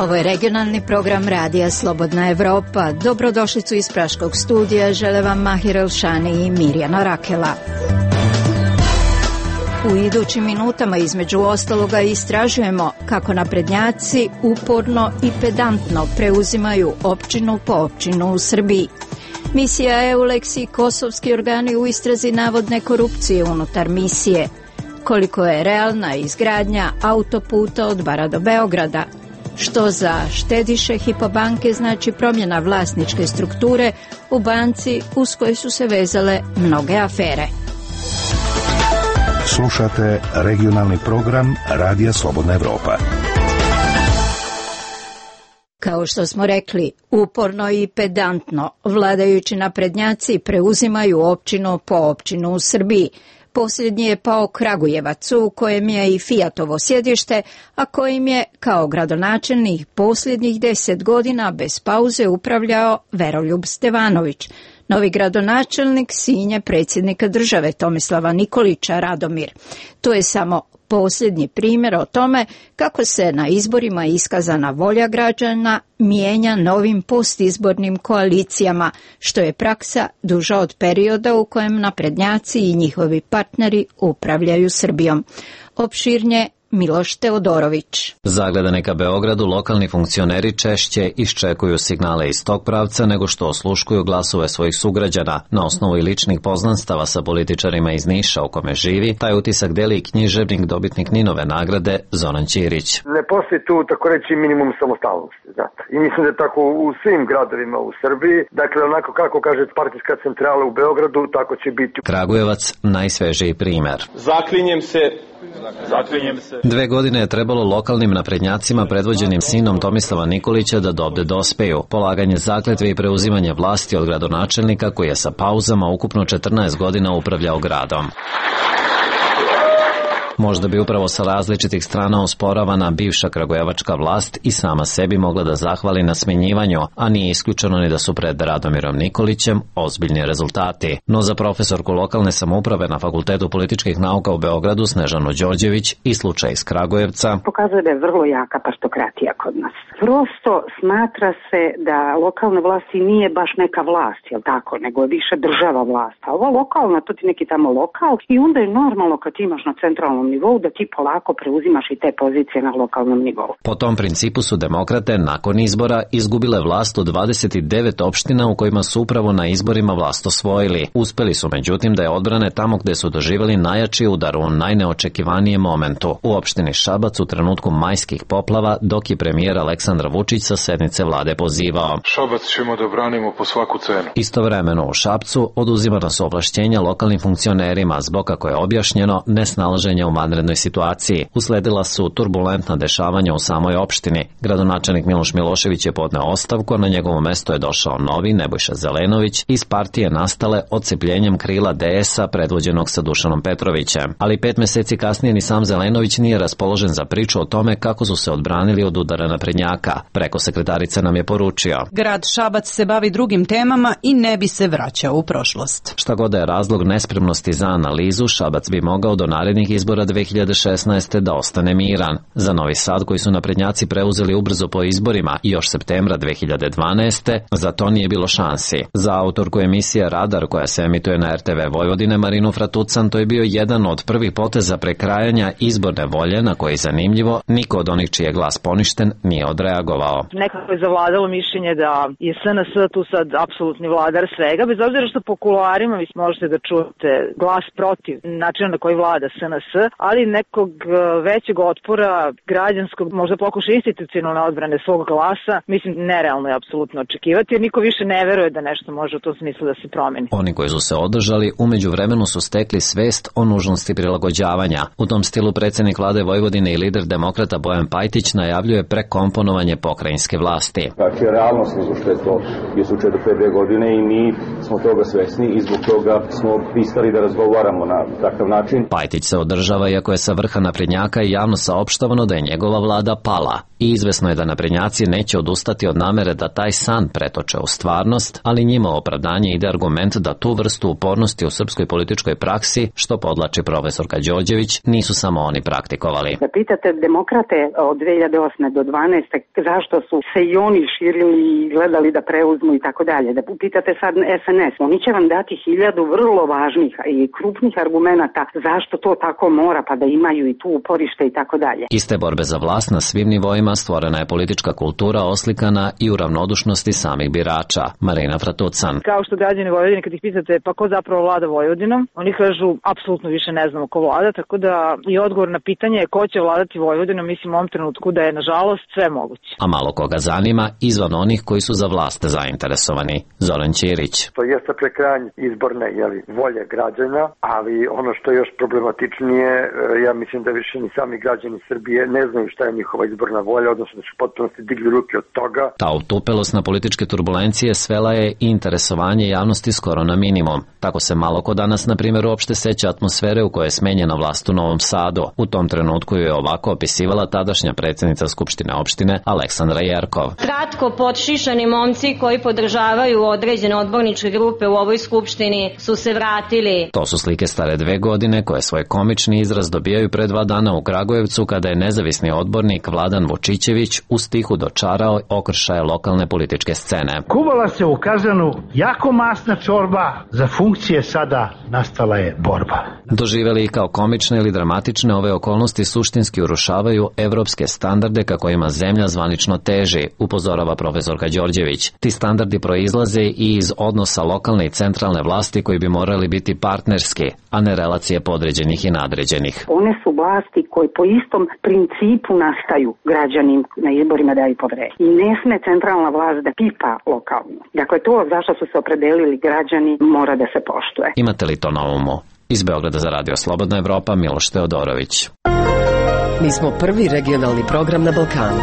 Ovo je regionalni program Radija Slobodna Evropa. Dobrodošlicu iz Praškog studija žele vam Mahir Elšani i Mirjana Rakela. U idućim minutama između ostaloga istražujemo kako naprednjaci uporno i pedantno preuzimaju općinu po općinu u Srbiji. Misija EULEX i kosovski organi u istrazi navodne korupcije unutar misije. Koliko je realna izgradnja autoputa od Bara do Beograda? Što za štediše Hypo banke znači promjena vlasničke strukture u banci uz koje su se vezale mnoge afere? Slušate regionalni program Radija Slobodna Evropa. Kao što smo rekli, uporno i pedantno vladajući naprednjaci preuzimaju općinu po općinu u Srbiji. Posljednji je pao Kragujevac, u kojem je i Fijatovo sjedište, a kojim je kao gradonačelnik posljednjih 10 godina bez pauze upravljao Veroljub Stevanović. Novi gradonačelnik sin je predsjednika države Tomislava Nikolića Radomir. To je samo posljednji primjer o tome kako se na izborima iskazana volja građana mijenja novim postizbornim koalicijama, što je praksa duža od perioda u kojem naprednjaci i njihovi partneri upravljaju Srbijom. Opširnije Miloš Teodorović. Zagledani ka Beogradu, lokalni funkcioneri češće iščekuju signale iz tog pravca nego što osluškuju glasove svojih sugrađana. Na osnovu i ličnih poznanstava sa političarima iz Niša u kome živi, taj utisak deli i književnik, dobitnik Ninove nagrade Zoran Ćirić. Ne postoji tu, tako reći, minimum samostalnosti, znate. I mislim da je tako u svim gradovima u Srbiji. Dakle, onako kako kaže partijska centrala u Beogradu, tako će biti. Kragujevac, najsvežiji primer. Zaklinjem se. 2 godine je trebalo lokalnim naprednjacima predvođenim sinom Tomislava Nikolića da dovde dospeju. Polaganje zakletve i preuzimanje vlasti od gradonačelnika koji je sa pauzama ukupno 14 godina upravljao gradom. Možda bi upravo sa različitih strana osporavana bivša kragujevačka vlast i sama sebi mogla da zahvali na smjenjivanju, a nije isključeno ni da su pred Radomirom Nikolićem ozbiljni rezultati. No za profesorku lokalne samouprave na Fakultetu političkih nauka u Beogradu Snežanu Đorđević i slučaj iz Kragujevca pokazuje da je vrlo jaka partokratija kod nas. Prosto smatra se da lokalna vlast i nije baš neka vlast, jel tako, nego je više država vlast. A ova lokalna, to ti neki tamo lokal i onda je normalno kad imaš na centralnom nivou da ti polako preuzimaš i te pozicije na lokalnom nivou. Po tom principu su demokrate nakon izbora izgubile vlast u 29 opština u kojima su upravo na izborima vlast osvojili. Uspeli su međutim da je odbrane tamo gde su doživjeli najjači udar u najneočekivanijem momentu. U opštini Šabac u trenutku majskih poplava, dok je premijer Aleksandar Vučić sa sednice vlade pozivao: Šabac ćemo da branimo po svaku cenu. Istovremeno u Šapcu oduzimana su ovlašćenja lokalnim funkcionerima zbog, kako je objašnjeno, nesnalaženja u vanrednoj situaciji. Usledila su turbulentna dešavanja u samoj opštini. Gradonačelnik Miloš Milošević je podneo ostavku, a na njegovo mesto je došao novi Nebojša Zelenović iz partije nastale odcepljenjem krila DS-a predvođenog sa Dušanom Petrovićem. Ali 5 meseci kasnije ni sam Zelenović nije raspoložen za priču o tome kako su se odbranili od udara naprednjaka. Preko sekretarice nam je poručio: grad Šabac se bavi drugim temama i ne bi se vraćao u prošlost. Šta god je razlog nespremnosti za analizu, Šabac bi mogao do narednih izbora 2016. da ostane miran. Za Novi Sad, koji su naprednjaci preuzeli ubrzo po izborima još septembra 2012. za to nije bilo šansi. Za autorku emisije Radar, koja se emituje na RTV Vojvodine, Marinu Fratucan, to je bio jedan od prvih poteza prekrajanja izborne volje na koji, zanimljivo, niko od onih čiji je glas poništen nije odreagovao. Nekako je zavladalo mišljenje da je SNS tu sad apsolutni vladar svega, bez obzira što po kuloarima vi možete da čujete glas protiv načina na koji vlada SNS, ali nekog većeg otpora građanskog, možda pokuša institucionalne odbrane svog glasa, mislim, nerealno je apsolutno očekivati, jer niko više ne veruje da nešto može u tom smislu da se promeni. Oni koji su se održali, umeđu vremenu su stekli svest o nužnosti prilagođavanja. U tom stilu predsjednik vlade Vojvodine i lider demokrata Bojan Pajtić najavljuje prekomponovanje pokrajinske vlasti. Znači, realnost nego što je to je slučaj do 5 godine i mi smo toga svesni i zbog toga smo pristali da razgovaramo na takav način. Pajtić se održava podržava, iako je sa vrha naprednjaka i javno saopštavano da je njegova vlada pala. I izvesno je da naprednjaci neće odustati od namere da taj san pretoče u stvarnost, ali njima opravdanje ide argument da tu vrstu upornosti u srpskoj političkoj praksi, što podlači profesorka Đorđević, nisu samo oni praktikovali. Da pitate demokrate od 2008. do 2012. zašto su se i oni širili i gledali da preuzmu i tako dalje. Da pitate sad SNS, oni će vam dati 1000 vrlo važnih i krupnih argumenata zašto to tako mora, pa da imaju i tu uporište i tako dalje. Iste borbe za vlast na svim nivoima stvorena je politička kultura oslikana i u ravnodušnosti samih birača. Marina Fratucan. Kao što građani Vojvodine, kad ih pitate pa ko zapravo vlada Vojvodinom, oni kažu apsolutno više ne znamo ko vlada, tako da i odgovor na pitanje ko će vladati Vojvodinom, mislim u ovom trenutku da je nažalost sve moguće. A malo koga zanima izvan onih koji su za vlast zainteresovani. Zoran Ćirić. To jeste prekrajanje izborne volje građana, ali ono što je još problematičnije, ja mislim da više ni sami građani Srbije ne znaju šta je njihova izborna volja, odnosno da su potpunosti digli ruke od toga. Ta utupelost na političke turbulencije svela je interesovanje javnosti skoro na minimum. Tako se malo ko danas, na primjer, uopšte seća atmosfere u kojoj je smenjena vlast u Novom Sadu. U tom trenutku ju je ovako opisivala tadašnja predsjednica Skupštine opštine Aleksandra Jerkov. Kratko podšišani momci koji podržavaju određene odborničke grupe u ovoj skupštini su se vratili. To su slike stare 2 godine koje svoj komični izraz dobijaju pre 2 dana u Kragujevcu kada je nezavisni odbornik Vladan Vučićević u stihu dočarao okršaje lokalne političke scene. Kuvala se u kazanu jako masna čorba, za funkcije sada nastala je borba. Doživeli ih kao komične ili dramatične, ove okolnosti suštinski urušavaju evropske standarde ka kojima zemlja zvanično teži, upozorava profesorka Đorđević. Ti standardi proizlaze i iz odnosa lokalne i centralne vlasti koji bi morali biti partnerski, a ne relacije podređenih i nadređenih. One su vlasti koje po istom principu nastaju građani na izborima daju poverenje. I ne sme centralna vlast da pipa lokalno. Dakle, to zašto su se opredelili građani mora da se poštuje. Imate li to na umu? Iz Beograda za Radio Slobodna Evropa, Miloš Teodorović. Mi smo prvi regionalni program na Balkanu.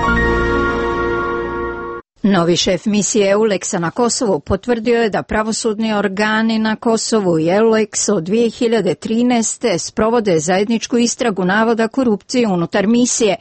Novi šef misije EULEX-a na Kosovu potvrdio je da pravosudni organi na Kosovu i EULEX od 2013. sprovode zajedničku istragu navoda korupcije unutar misije,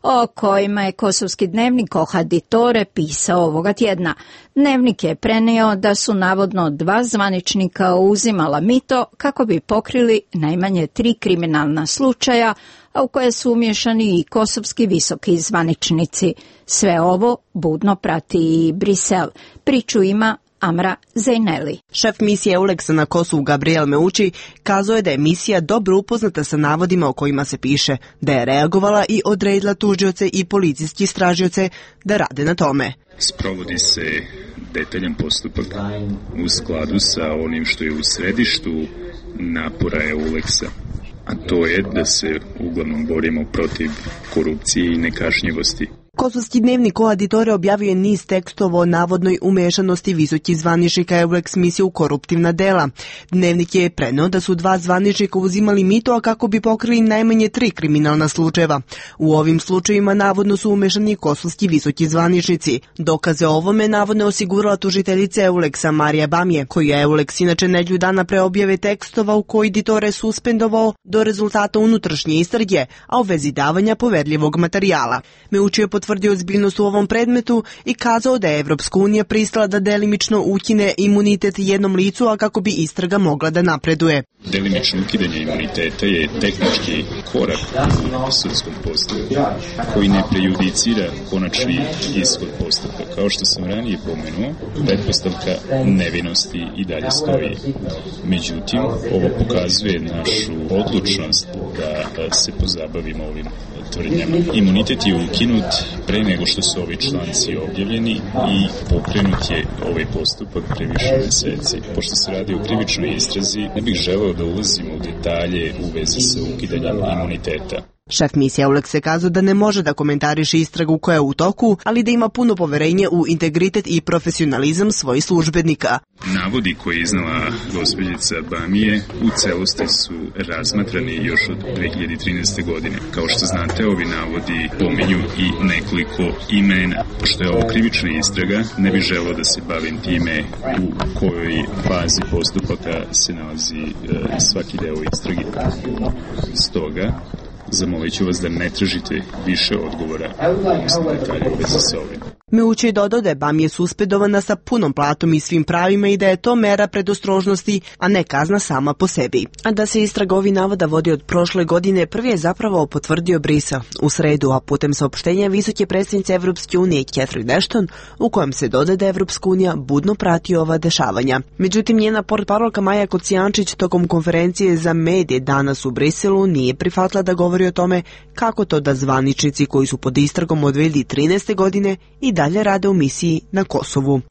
o kojima je kosovski dnevnik Ohaditore pisao ovoga tjedna. Dnevnik je prenio da su navodno 2 zvaničnika uzimala mito kako bi pokrili najmanje 3 kriminalna slučaja, a u koje su umješani i kosovski visoki zvaničnici. Sve ovo budno prati i Brisel. Priču ima Amra Zejneli. Šef misije EULEX-a na Kosovu Gabriel Meuči kazao je da je misija dobro upoznata sa navodima o kojima se piše, da je reagovala i odredila tužioce i policijski istražioce da rade na tome. Sprovodi se detaljan postupak u skladu sa onim što je u središtu napora EULEX-a, a to je da se uglavnom borimo protiv korupcije i nekažnjivosti. Kosovski dnevnik Ohaditore objavio je niz tekstova o navodnoj umešanosti visokih zvaničnika EULEX misije u koruptivna dela. Dnevnik je preneo da su 2 zvaničnika uzimali mito, a kako bi pokrili najmanje 3 kriminalna slučajeva. U ovim slučajevima navodno su umešani kosovski visoki zvaničnici. Dokaze o ovome navodno osigurala tužiteljica EULEX-a Marija Bamije, koju je EULEX inače nedelju dana pre objave tekstova u koji Ditore suspendovao do rezultata unutrašnje istrage, a u vezi davanja poverljivog materijala. Meuči je potvrdio ozbiljnost u ovom predmetu i kazao da je Evropska unija pristala da delimično ukine imunitet jednom licu, a kako bi istraga mogla da napreduje. Delimično ukidanje imuniteta je tehnički korak u sudskom postupku koji ne prejudicira konačni ishod postupka. Kao što sam ranije pomenuo, pretpostavka nevinosti i dalje stoji. Međutim, ovo pokazuje našu odlučnost da se pozabavimo ovim tvrdnjama. Imunitet je ukinut pre nego što su ovi članci objavljeni i pokrenut je ovaj postupak pre više meseci. Pošto se radi o krivičnoj istrazi, ne bih želeo da ulazimo u detalje u vezi sa ukidanjem imuniteta. Šef misije EULEX je kazao da ne može da komentariše istragu koja je u toku, ali da ima puno poverenje u integritet i profesionalizam svojih službenika. Navodi koje je iznala gospođica Bamije u celosti su razmatrani još od 2013. godine. Kao što znate, ovi navodi pominju i nekoliko imena. Pošto je ovo krivična istraga, ne bih želeo da se bavim time u kojoj fazi postupaka se nalazi svaki deo istrage. Stoga, zamolit ću vas da ne tražite više odgovora odnosno detalje u vezi sa ovim. Meući je dodao da je Bamije suspendovana sa punom platom i svim pravima i da je to mera predostrožnosti, a ne kazna sama po sebi. A da se istraga ovih navoda vodi od prošle godine, prvi je zapravo potvrdio Brisel u sredu, a putem saopštenja visoke predstavnice Evropske unije Catherine Ashton, u kojem se dodaje da Evropska unija budno prati ova dešavanja. Međutim, njena portparolka Maja Kocijančić tokom konferencije za medije danas u Briselu nije prihvatila da govori o tome kako to da zvaničnici koji su pod istragom od 2013. godine i dalje rade u misiji na Kosovu.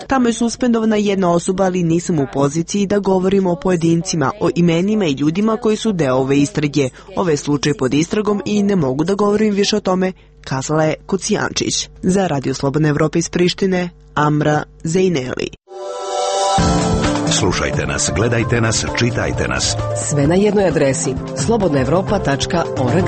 Tamo je suspendovana jedna osoba, ali nisam u poziciji da govorimo o pojedincima, o imenima i ljudima koji su deo ove istrage. Ove slučaj pod istragom i ne mogu da govorim više o tome, kazala je Kocijančić. Za Radio Slobodna Evropa iz Prištine, Amra Zejneli. Slušajte nas, gledajte nas, čitajte nas. Sve na jednoj adresi slobodnaevropa.org.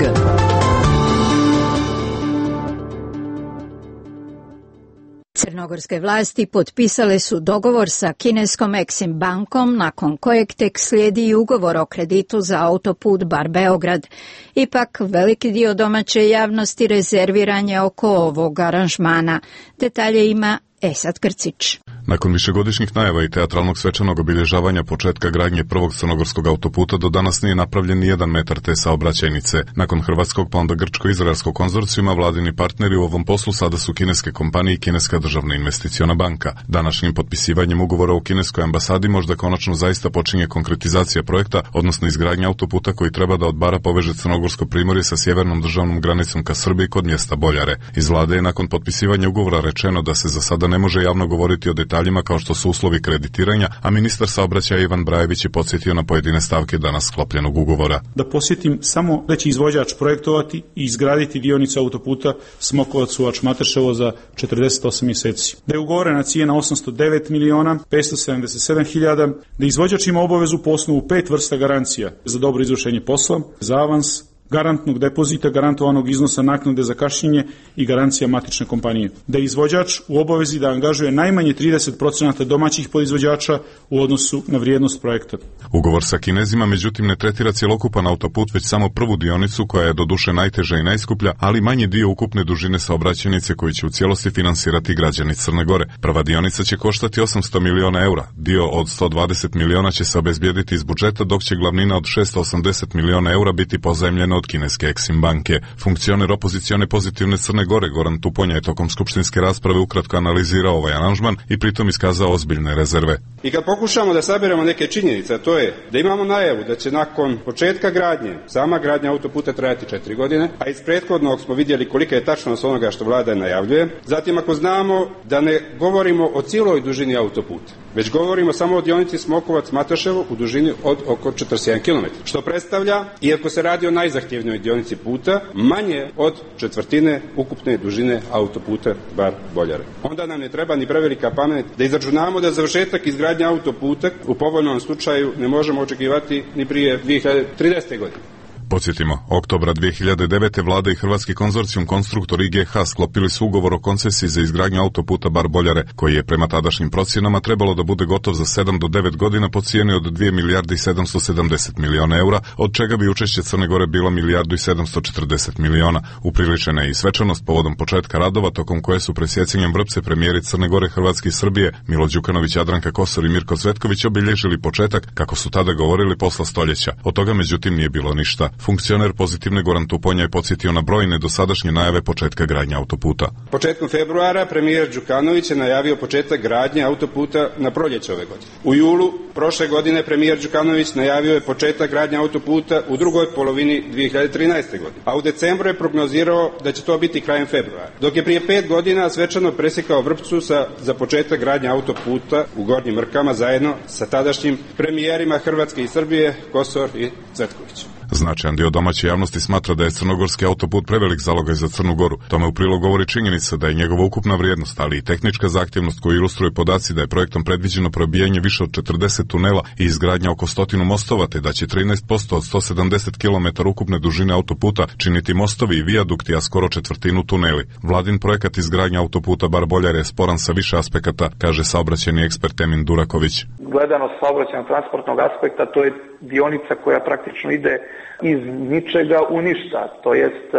Crnogorske vlasti potpisale su dogovor sa kineskom Exim bankom, nakon kojeg tek slijedi i ugovor o kreditu za autoput Bar-Beograd. Ipak, veliki dio domaće javnosti rezerviran je oko ovog aranžmana. Detalje ima Esad Krcić. Nakon višegodišnjih najava i teatralnog svečanog obilježavanja početka gradnje prvog crnogorskog autoputa, do danas nije napravljen ni 1 metar te saobraćajnice. Nakon hrvatskog pa onda grčko-izraelskog konzorcijuma, vladini partneri u ovom poslu sada su kineske kompanije i kineska državna investiciona banka. Današnjim potpisivanjem ugovora u kineskoj ambasadi možda konačno zaista počinje konkretizacija projekta, odnosno izgradnja autoputa koji treba da od Bara poveže Crnogorsko primorje sa sjevernom državnom granicom ka Srbiji kod mjesta Boljare. Iz vlade je nakon potpisivanja ugovora rečeno da se za sada ne može javno govoriti o detaljima kao što su uslovi kreditiranja, a ministar saobraćaja Ivan Brajević je podsjetio na pojedine stavke danas sklopljenog ugovora. Da posjetim samo da će izvođač projektovati i izgraditi dionicu autoputa Smokovac-Suvač-Matrševo za 48 mjeseci. Da je ugovorena cijena 809.577.000, da izvođač ima obavezu po osnovu 5 vrsta garancija za dobro izvršenje posla, za avans, garantnog depozita, garantovanog iznosa naknade za kašnjenje i garancija matične kompanije. Da je izvođač u obavezi da angažuje najmanje 30% domaćih podizvođača u odnosu na vrijednost projekta. Ugovor sa Kinezima međutim ne tretira cjelokupan autoput, već samo prvu dionicu koja je doduše najteža i najskuplja, ali manji dio ukupne dužine saobraćajnice koji će u cijelosti finansirati građani Crne Gore. Prva dionica će koštati 800 miliona eura, dio od 120 miliona će se obezbijediti iz budžeta, dok će glavnina od 680 miliona eura biti pozajmljena od kineske Exim banke. Funkcioner opozicione Pozitivne Crne Gore Goran Tuponja je tokom skupštinske rasprave ukratko analizirao ovaj aranžman i pritom iskazao ozbiljne rezerve. I kad pokušamo da sabiramo neke činjenice, a to je da imamo najavu da će nakon početka gradnje, sama gradnja autoputa trajati 4 godine, a iz prethodnog smo vidjeli kolika je tačnost onoga što vlada najavljuje. Zatim ako znamo da ne govorimo o cijeloj dužini autoputa, već govorimo samo o dionici Smokovac-Matrševo u dužini od oko 41 km, što predstavlja, iako se radi o najzahtjevnijoj dionici puta, manje od četvrtine ukupne dužine autoputa Bar-Boljare. Onda nam ne treba ni prevelika pamet da izračunamo da završetak izgradnje autoputa u povoljnom slučaju ne možemo očekivati ni prije 2030. godine. Podsjetimo, oktobra 2009. vlada i hrvatski konzorcijum Konstruktor IGH sklopili su ugovor o koncesiji za izgradnju autoputa Bar-Boljare, koji je prema tadašnjim procjenama trebalo da bude gotov za 7 do 9 godina po cijeni od 2 milijarde i 770 miliona eura, od čega bi učešće Crne Gore bilo 1 milijardu i 740 miliona. Upriličena je i svečanost povodom početka radova, tokom koje su presjecanjem vrpce premijeri Crne Gore, Hrvatske i Srbije Milo Đukanović, Jadranka Kosor i Mirko Cvetković obilježili početak, kako su tada govorili, posla stoljeća. Od toga međutim nije bilo ništa. Funkcioner Pozitivne Goran Tuponja je podsjetio na brojne dosadašnje najave početka gradnje autoputa. Početkom februara premijer Đukanović je najavio početak gradnje autoputa na proljeće ove godine. U julu prošle godine premijer Đukanović najavio je početak gradnje autoputa u drugoj polovini 2013. godine, a u decembru je prognozirao da će to biti krajem februara. Dok je prije 5 godina svečano presjekao vrpcu za početak gradnje autoputa u Gornjim Mrkama zajedno sa tadašnjim premijerima Hrvatske i Srbije, Kosor i Cvetković. Značajan dio domaće javnosti smatra da je crnogorski autoput prevelik zalogaj za Crnu Goru. Tome u prilog govori činjenica da je njegova ukupna vrijednost, ali i tehnička zahtjevnost koju ilustruju podaci da je projektom predviđeno probijanje više od 40 tunela i izgradnja oko 100 mostova, te da će 13% od 170 km ukupne dužine autoputa činiti mostovi i vijadukti, a skoro četvrtinu tuneli. Vladin projekat izgradnja autoputa Bar-Boljare je sporan sa više aspekata, kaže saobraćajni ekspert Emin Duraković. Gledano s saobraćajno-transportnog aspekta, to je dionica koja praktično ide iz ničega u ništa, to jest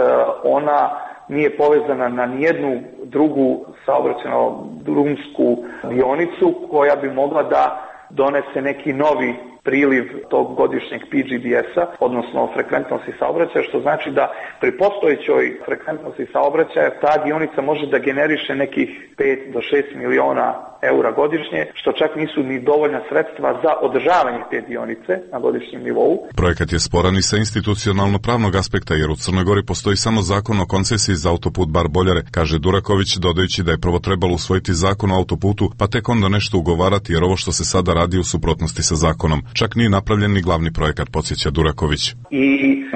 ona nije povezana na nijednu drugu saobraćajno-drumsku dionicu koja bi mogla da donese neki novi priliv tog godišnjeg PGDS-a, odnosno frekventnosti saobraćaja, što znači da pri postojećoj frekventnosti saobraćaja ta dionica može da generiše nekih 5 do 6 miliona eura godišnje, što čak nisu ni dovoljna sredstva za održavanje te dionice na godišnjem nivou. Projekat je sporan i sa institucionalno-pravnog aspekta, jer u Crnoj Gori postoji samo zakon o koncesiji za autoput Bar-Boljare, kaže Duraković, dodajući da je prvo trebalo usvojiti zakon o autoputu, pa tek onda nešto ugovarati, jer ovo što se sada radi u suprotnosti sa zakonom. Čak nije napravljen ni glavni projekat, podsjeća Duraković. I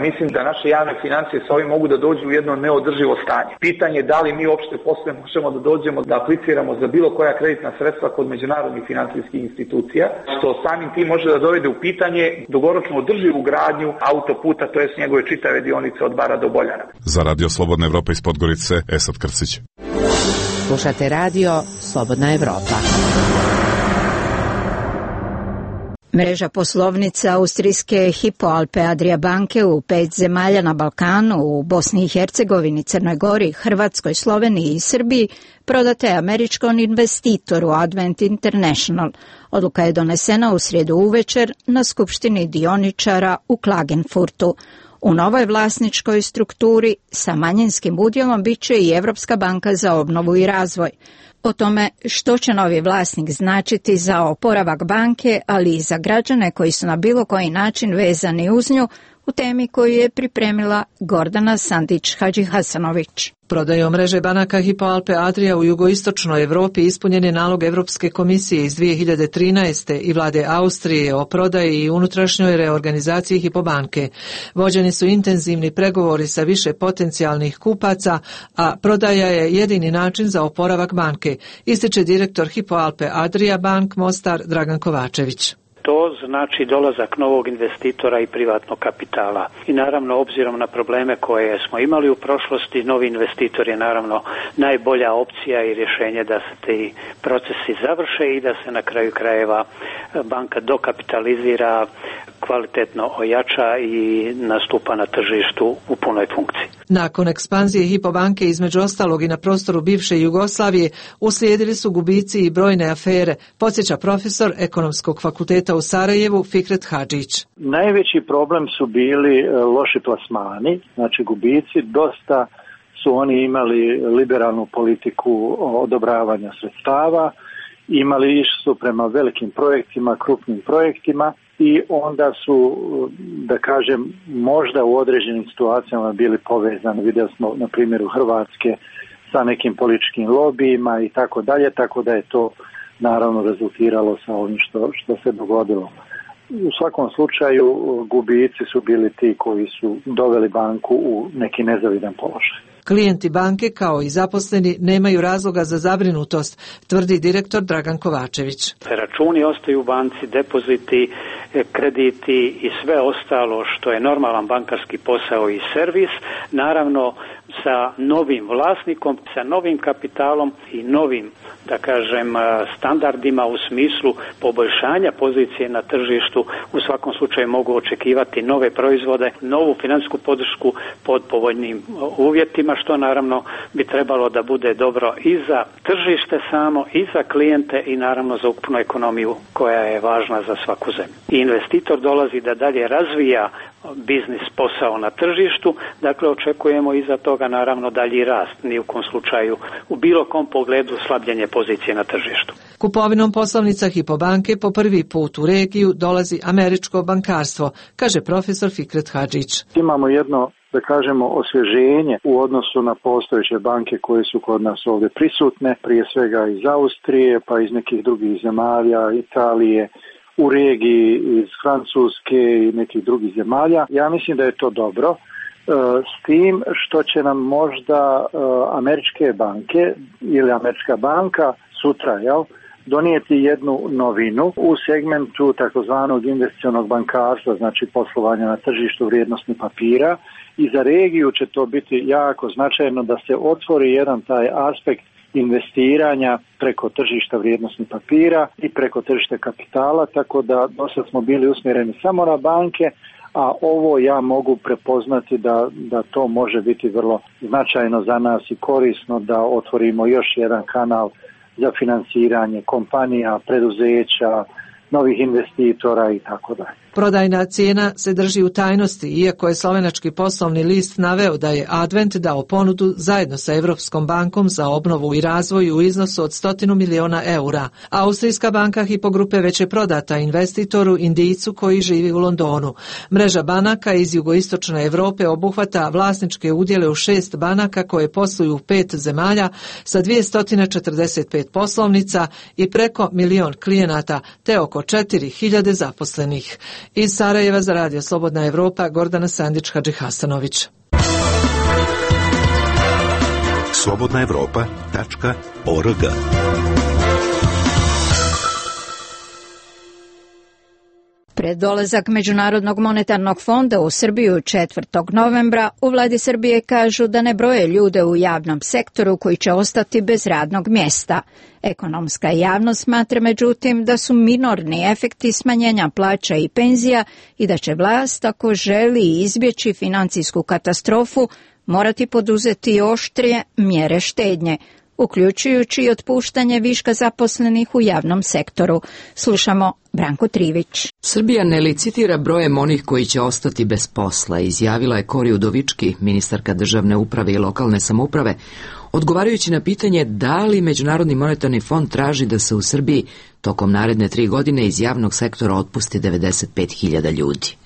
mislim da naše javne financije sa ovim mogu da dođu u jedno neodrživo stanje. Pitanje je da li mi uopšte posle možemo da dođemo da apliciramo za bilo koja kreditna sredstva kod međunarodnih financijskih institucija, što samim tim može da dovede u pitanje dugoročno održivu gradnju autoputa, to jest njegove čitave dionice od Bara do Boljara. Za Radio Slobodna Evropa iz Podgorice, Esad Krcić. Slušate Radio Slobodna Evropa. Mreža poslovnica austrijske Hypo Alpe Adria banke u 5 zemalja na Balkanu, u Bosni i Hercegovini, Crnoj Gori, Hrvatskoj, Sloveniji i Srbiji, prodata je američkom investitoru Advent International. Odluka je donesena u srijedu uvečer na skupštini dioničara u Klagenfurtu. U novoj vlasničkoj strukturi sa manjinskim udjelom bit će i Evropska banka za obnovu i razvoj. O tome što će novi vlasnik značiti za oporavak banke, ali i za građane koji su na bilo koji način vezani uz nju, u temi koju je pripremila Gordana Sandić-Hadžihasanović. Prodajom mreže banaka Hypo Alpe Adria u jugoistočnoj Evropi ispunjen je nalog Evropske komisije iz 2013. i vlade Austrije o prodaji i unutrašnjoj reorganizaciji Hypo banke. Vođeni su intenzivni pregovori sa više potencijalnih kupaca, a prodaja je jedini način za oporavak banke, ističe direktor Hypo Alpe Adria Bank Mostar Dragan Kovačević. To znači dolazak novog investitora i privatnog kapitala. I naravno, obzirom na probleme koje smo imali u prošlosti, novi investitor je naravno najbolja opcija i rješenje da se ti procesi završe i da se na kraju krajeva banka dokapitalizira, kvalitetno ojača i nastupa na tržištu u punoj funkciji. Nakon ekspanzije Hypo banke između ostalog i na prostoru bivše Jugoslavije uslijedili su gubici i brojne afere, podsjeća profesor Ekonomskog fakulteta u Sarajevu Fikret Hadžić. Najveći problem su bili loši plasmani, znači gubici. Dosta su oni imali liberalnu politiku odobravanja sredstava, išli su prema velikim projektima, krupnim projektima i onda su, da kažem, možda u određenim situacijama bili povezani. Vidjeli smo na primjeru Hrvatske sa nekim političkim lobijima i tako dalje, tako da je to naravno rezultiralo sa ovim što se dogodilo. U svakom slučaju gubici su bili ti koji su doveli banku u neki nezavidan položaj. Klijenti banke kao i zaposleni nemaju razloga za zabrinutost, tvrdi direktor Dragan Kovačević. Računi ostaju u banci, depoziti, krediti i sve ostalo što je normalan bankarski posao i servis, naravno sa novim vlasnikom, sa novim kapitalom i novim, da kažem, standardima u smislu poboljšanja pozicije na tržištu. U svakom slučaju mogu očekivati nove proizvode, novu financijsku podršku pod povoljnim uvjetima, što naravno bi trebalo da bude dobro i za tržište samo, i za klijente i naravno za ukupnu ekonomiju koja je važna za svaku zemlju. I investitor dolazi da dalje razvija biznis posao na tržištu, dakle očekujemo iza toga naravno dalji rast, ni u kom slučaju u bilo kom pogledu slabljenje pozicije na tržištu. Kupovinom poslovnica Hypo banke po prvi put u regiju dolazi američko bankarstvo, kaže profesor Fikret Hadžić. Imamo jedno, da kažemo, osvježenje u odnosu na postojeće banke koje su kod nas ovdje prisutne, prije svega iz Austrije, pa iz nekih drugih zemalja, Italije, u regiji iz Francuske i nekih drugih zemalja. Ja mislim da je to dobro, s tim što će nam možda američke banke ili američka banka sutra, donijeti jednu novinu u segmentu takozvanog investicionog bankarstva, znači poslovanja na tržištu vrijednosnih papira, i za regiju će to biti jako značajno da se otvori jedan taj aspekt investiranja preko tržišta vrijednosnih papira i preko tržišta kapitala, tako da dosad smo bili usmjereni samo na banke, a ovo ja mogu prepoznati da to može biti vrlo značajno za nas i korisno da otvorimo još jedan kanal za financiranje kompanija, preduzeća, novih investitora i tako dalje. Prodajna cijena se drži u tajnosti, iako je slovenački poslovni list naveo da je Advent dao ponudu zajedno sa Evropskom bankom za obnovu i razvoj u iznosu od 100 miliona eura. Austrijska banka Hypo grupe već je prodata investitoru Indijcu koji živi u Londonu. Mreža banaka iz jugoistočne Evrope obuhvata vlasničke udjele u 6 banaka koje posluju u 5 zemalja sa 245 poslovnica i preko 1.000.000 klijenata te oko 4.000 zaposlenih. Iz Sarajeva za Radio Slobodna Evropa, Gordana Sandić-Hadži Hasanović. slobodnaevropa.org. Pred dolazak Međunarodnog monetarnog fonda u Srbiju 4. novembra u vladi Srbije kažu da ne broje ljude u javnom sektoru koji će ostati bez radnog mjesta. Ekonomska javnost smatra međutim da su minorni efekti smanjenja plaća i penzija i da će vlast, ako želi izbjeći financijsku katastrofu, morati poduzeti oštrije mjere štednje, uključujući i otpuštanje viška zaposlenih u javnom sektoru. Slušamo Branko Trivić. Srbija ne licitira brojem onih koji će ostati bez posla, izjavila je Kori Udovički, ministarka državne uprave i lokalne samouprave, odgovarajući na pitanje da li Međunarodni monetarni fond traži da se u Srbiji tokom naredne 3 godine iz javnog sektora otpusti 95.000 ljudi.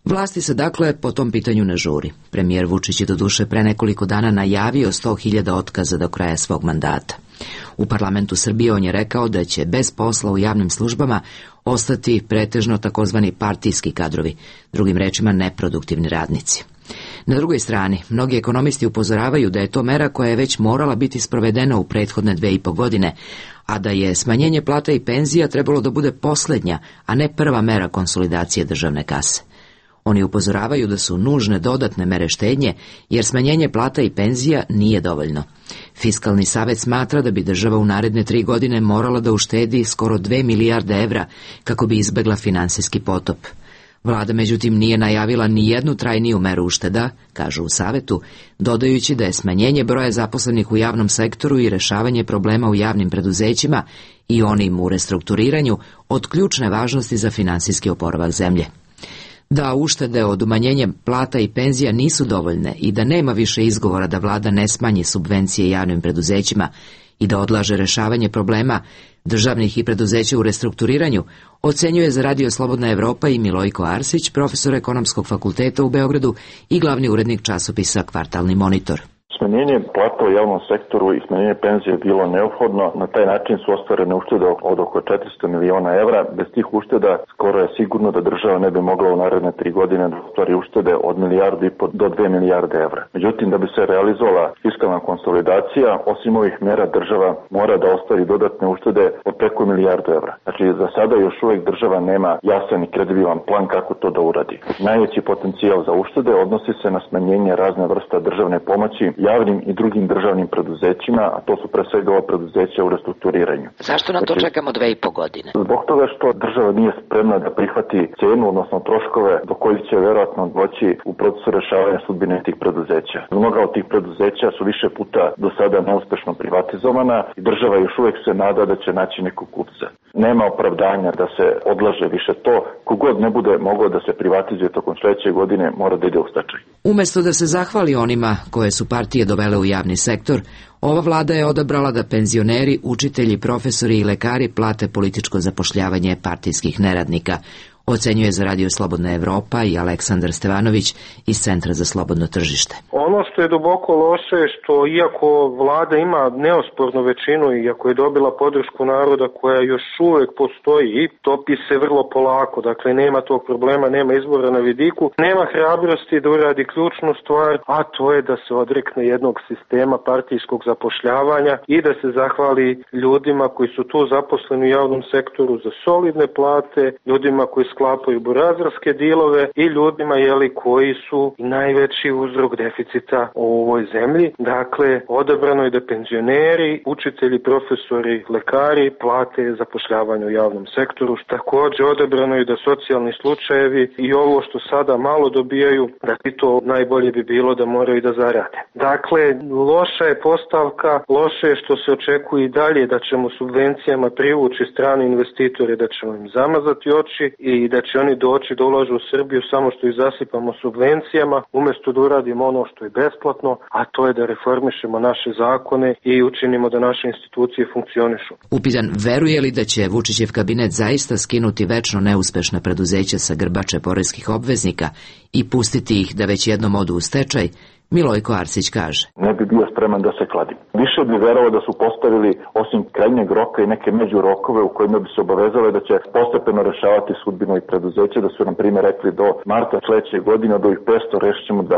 Vlasti se dakle po tom pitanju ne žuri. Premijer Vučić je doduše pre nekoliko dana najavio 100.000 otkaza do kraja svog mandata. U parlamentu Srbije on je rekao da će bez posla u javnim službama ostati pretežno takozvani partijski kadrovi, drugim rečima neproduktivni radnici. Na drugoj strani, mnogi ekonomisti upozoravaju da je to mera koja je već morala biti sprovedena u prethodne 2,5 godine, a da je smanjenje plata i penzija trebalo da bude posljednja, a ne prva mera konsolidacije državne kase. Oni upozoravaju da su nužne dodatne mere štednje, jer smanjenje plata i penzija nije dovoljno. Fiskalni savet smatra da bi država u naredne 3 godine morala da uštedi skoro 2 milijarde evra kako bi izbegla finansijski potop. Vlada međutim nije najavila ni jednu trajniju meru ušteda, kažu u savetu, dodajući da je smanjenje broja zaposlenih u javnom sektoru i rešavanje problema u javnim preduzećima i onim u restrukturiranju od ključne važnosti za finansijski oporavak zemlje. Da uštede od umanjenja plata i penzija nisu dovoljne i da nema više izgovora da vlada ne smanji subvencije javnim preduzećima i da odlaže rešavanje problema državnih i preduzeća u restrukturiranju, ocenjuje za Radio Slobodna Evropa i Milojko Arsić, profesor Ekonomskog fakulteta u Beogradu i glavni urednik časopisa Kvartalni monitor. Smanjenje plata u javnom sektoru i smanjenje penzije je bilo neophodno. Na taj način su ostvarene uštede od oko 400 miliona evra. Bez tih ušteda skoro je sigurno da država ne bi mogla u naredne 3 godine da ostvari uštede od 1,5 milijarde do 2 milijarde evra. Međutim, da bi se realizovala fiskalna konsolidacija, osim ovih mera država mora da ostvari dodatne uštede od preko 1 milijardu evra. Znači, za sada još uvijek država nema jasan i kredibilan plan kako to da uradi. Najveći potencijal za uštede odnosi se na smanjenje razne vrsta državne pomoći javnim i drugim državnim preduzećima, a to su pre svega ova preduzeća u restrukturiranju. Zašto na to čekamo 2,5 godine? Zbog toga što država nije spremna da prihvati cenu, odnosno troškove do kojih će verovatno doći u procesu rešavanja sudbine tih preduzeća. Mnoga od tih preduzeća su više puta do sada neuspešno privatizovana i država još uvek se nada da će naći nekog kupca. Nema opravdanja da se odlaže više to. Kogod ne bude mogao da se privatizuje tokom sledeće godine, mora da ide u stečaj. Umesto da se zahvali onima koje su partije dovele u javni sektor, ova vlada je odabrala da penzioneri, učitelji, profesori i lekari plate političko zapošljavanje partijskih neradnika, ocenjuje za Radio Slobodna Evropa i Aleksandar Stevanović iz Centra za slobodno tržište. Ono što je duboko loše je što iako vlada ima neospornu većinu i iako je dobila podršku naroda koja još uvek postoji, topi se vrlo polako, dakle nema tog problema, nema izbora na vidiku, nema hrabrosti da uradi ključnu stvar, a to je da se odrekne jednog sistema partijskog zapošljavanja i da se zahvali ljudima koji su tu zaposleni u javnom sektoru za solidne plate, ljudima koji sklapaju burazerske dilove i ljudima koji su najveći uzrok deficita u ovoj zemlji. Dakle, odabrano je da penzioneri, učitelji, profesori, lekari plate zapošljavanje u javnom sektoru. Također odabrano je da socijalni slučajevi i ovo što sada malo dobijaju, da i to najbolje bi bilo da moraju da zarade. Dakle, loša je postavka, loše je što se očekuje i dalje da ćemo subvencijama privući strane investitore, da ćemo im zamazati oči i da će oni doći da ulažu u Srbiju samo što ih zasipamo subvencijama, umjesto da uradimo ono što je besplatno, a to je da reformišemo naše zakone i učinimo da naše institucije funkcionišu. Upitan veruje li da će Vučićev kabinet zaista skinuti večno neuspešna preduzeća sa grbače poreskih obveznika i pustiti ih da već jednom odu u stečaj, Milojko Arsić kaže. Ne bi bio spreman da se kladim. Više bi verovao da su postavili osim krajnjeg roka i neke međurokove u kojima bi se obavezale da će postepeno rešavati sudbinu i preduzeća, da su nam primjer rekli do marta sledeće godine od ovih 500 rešit ćemo 200.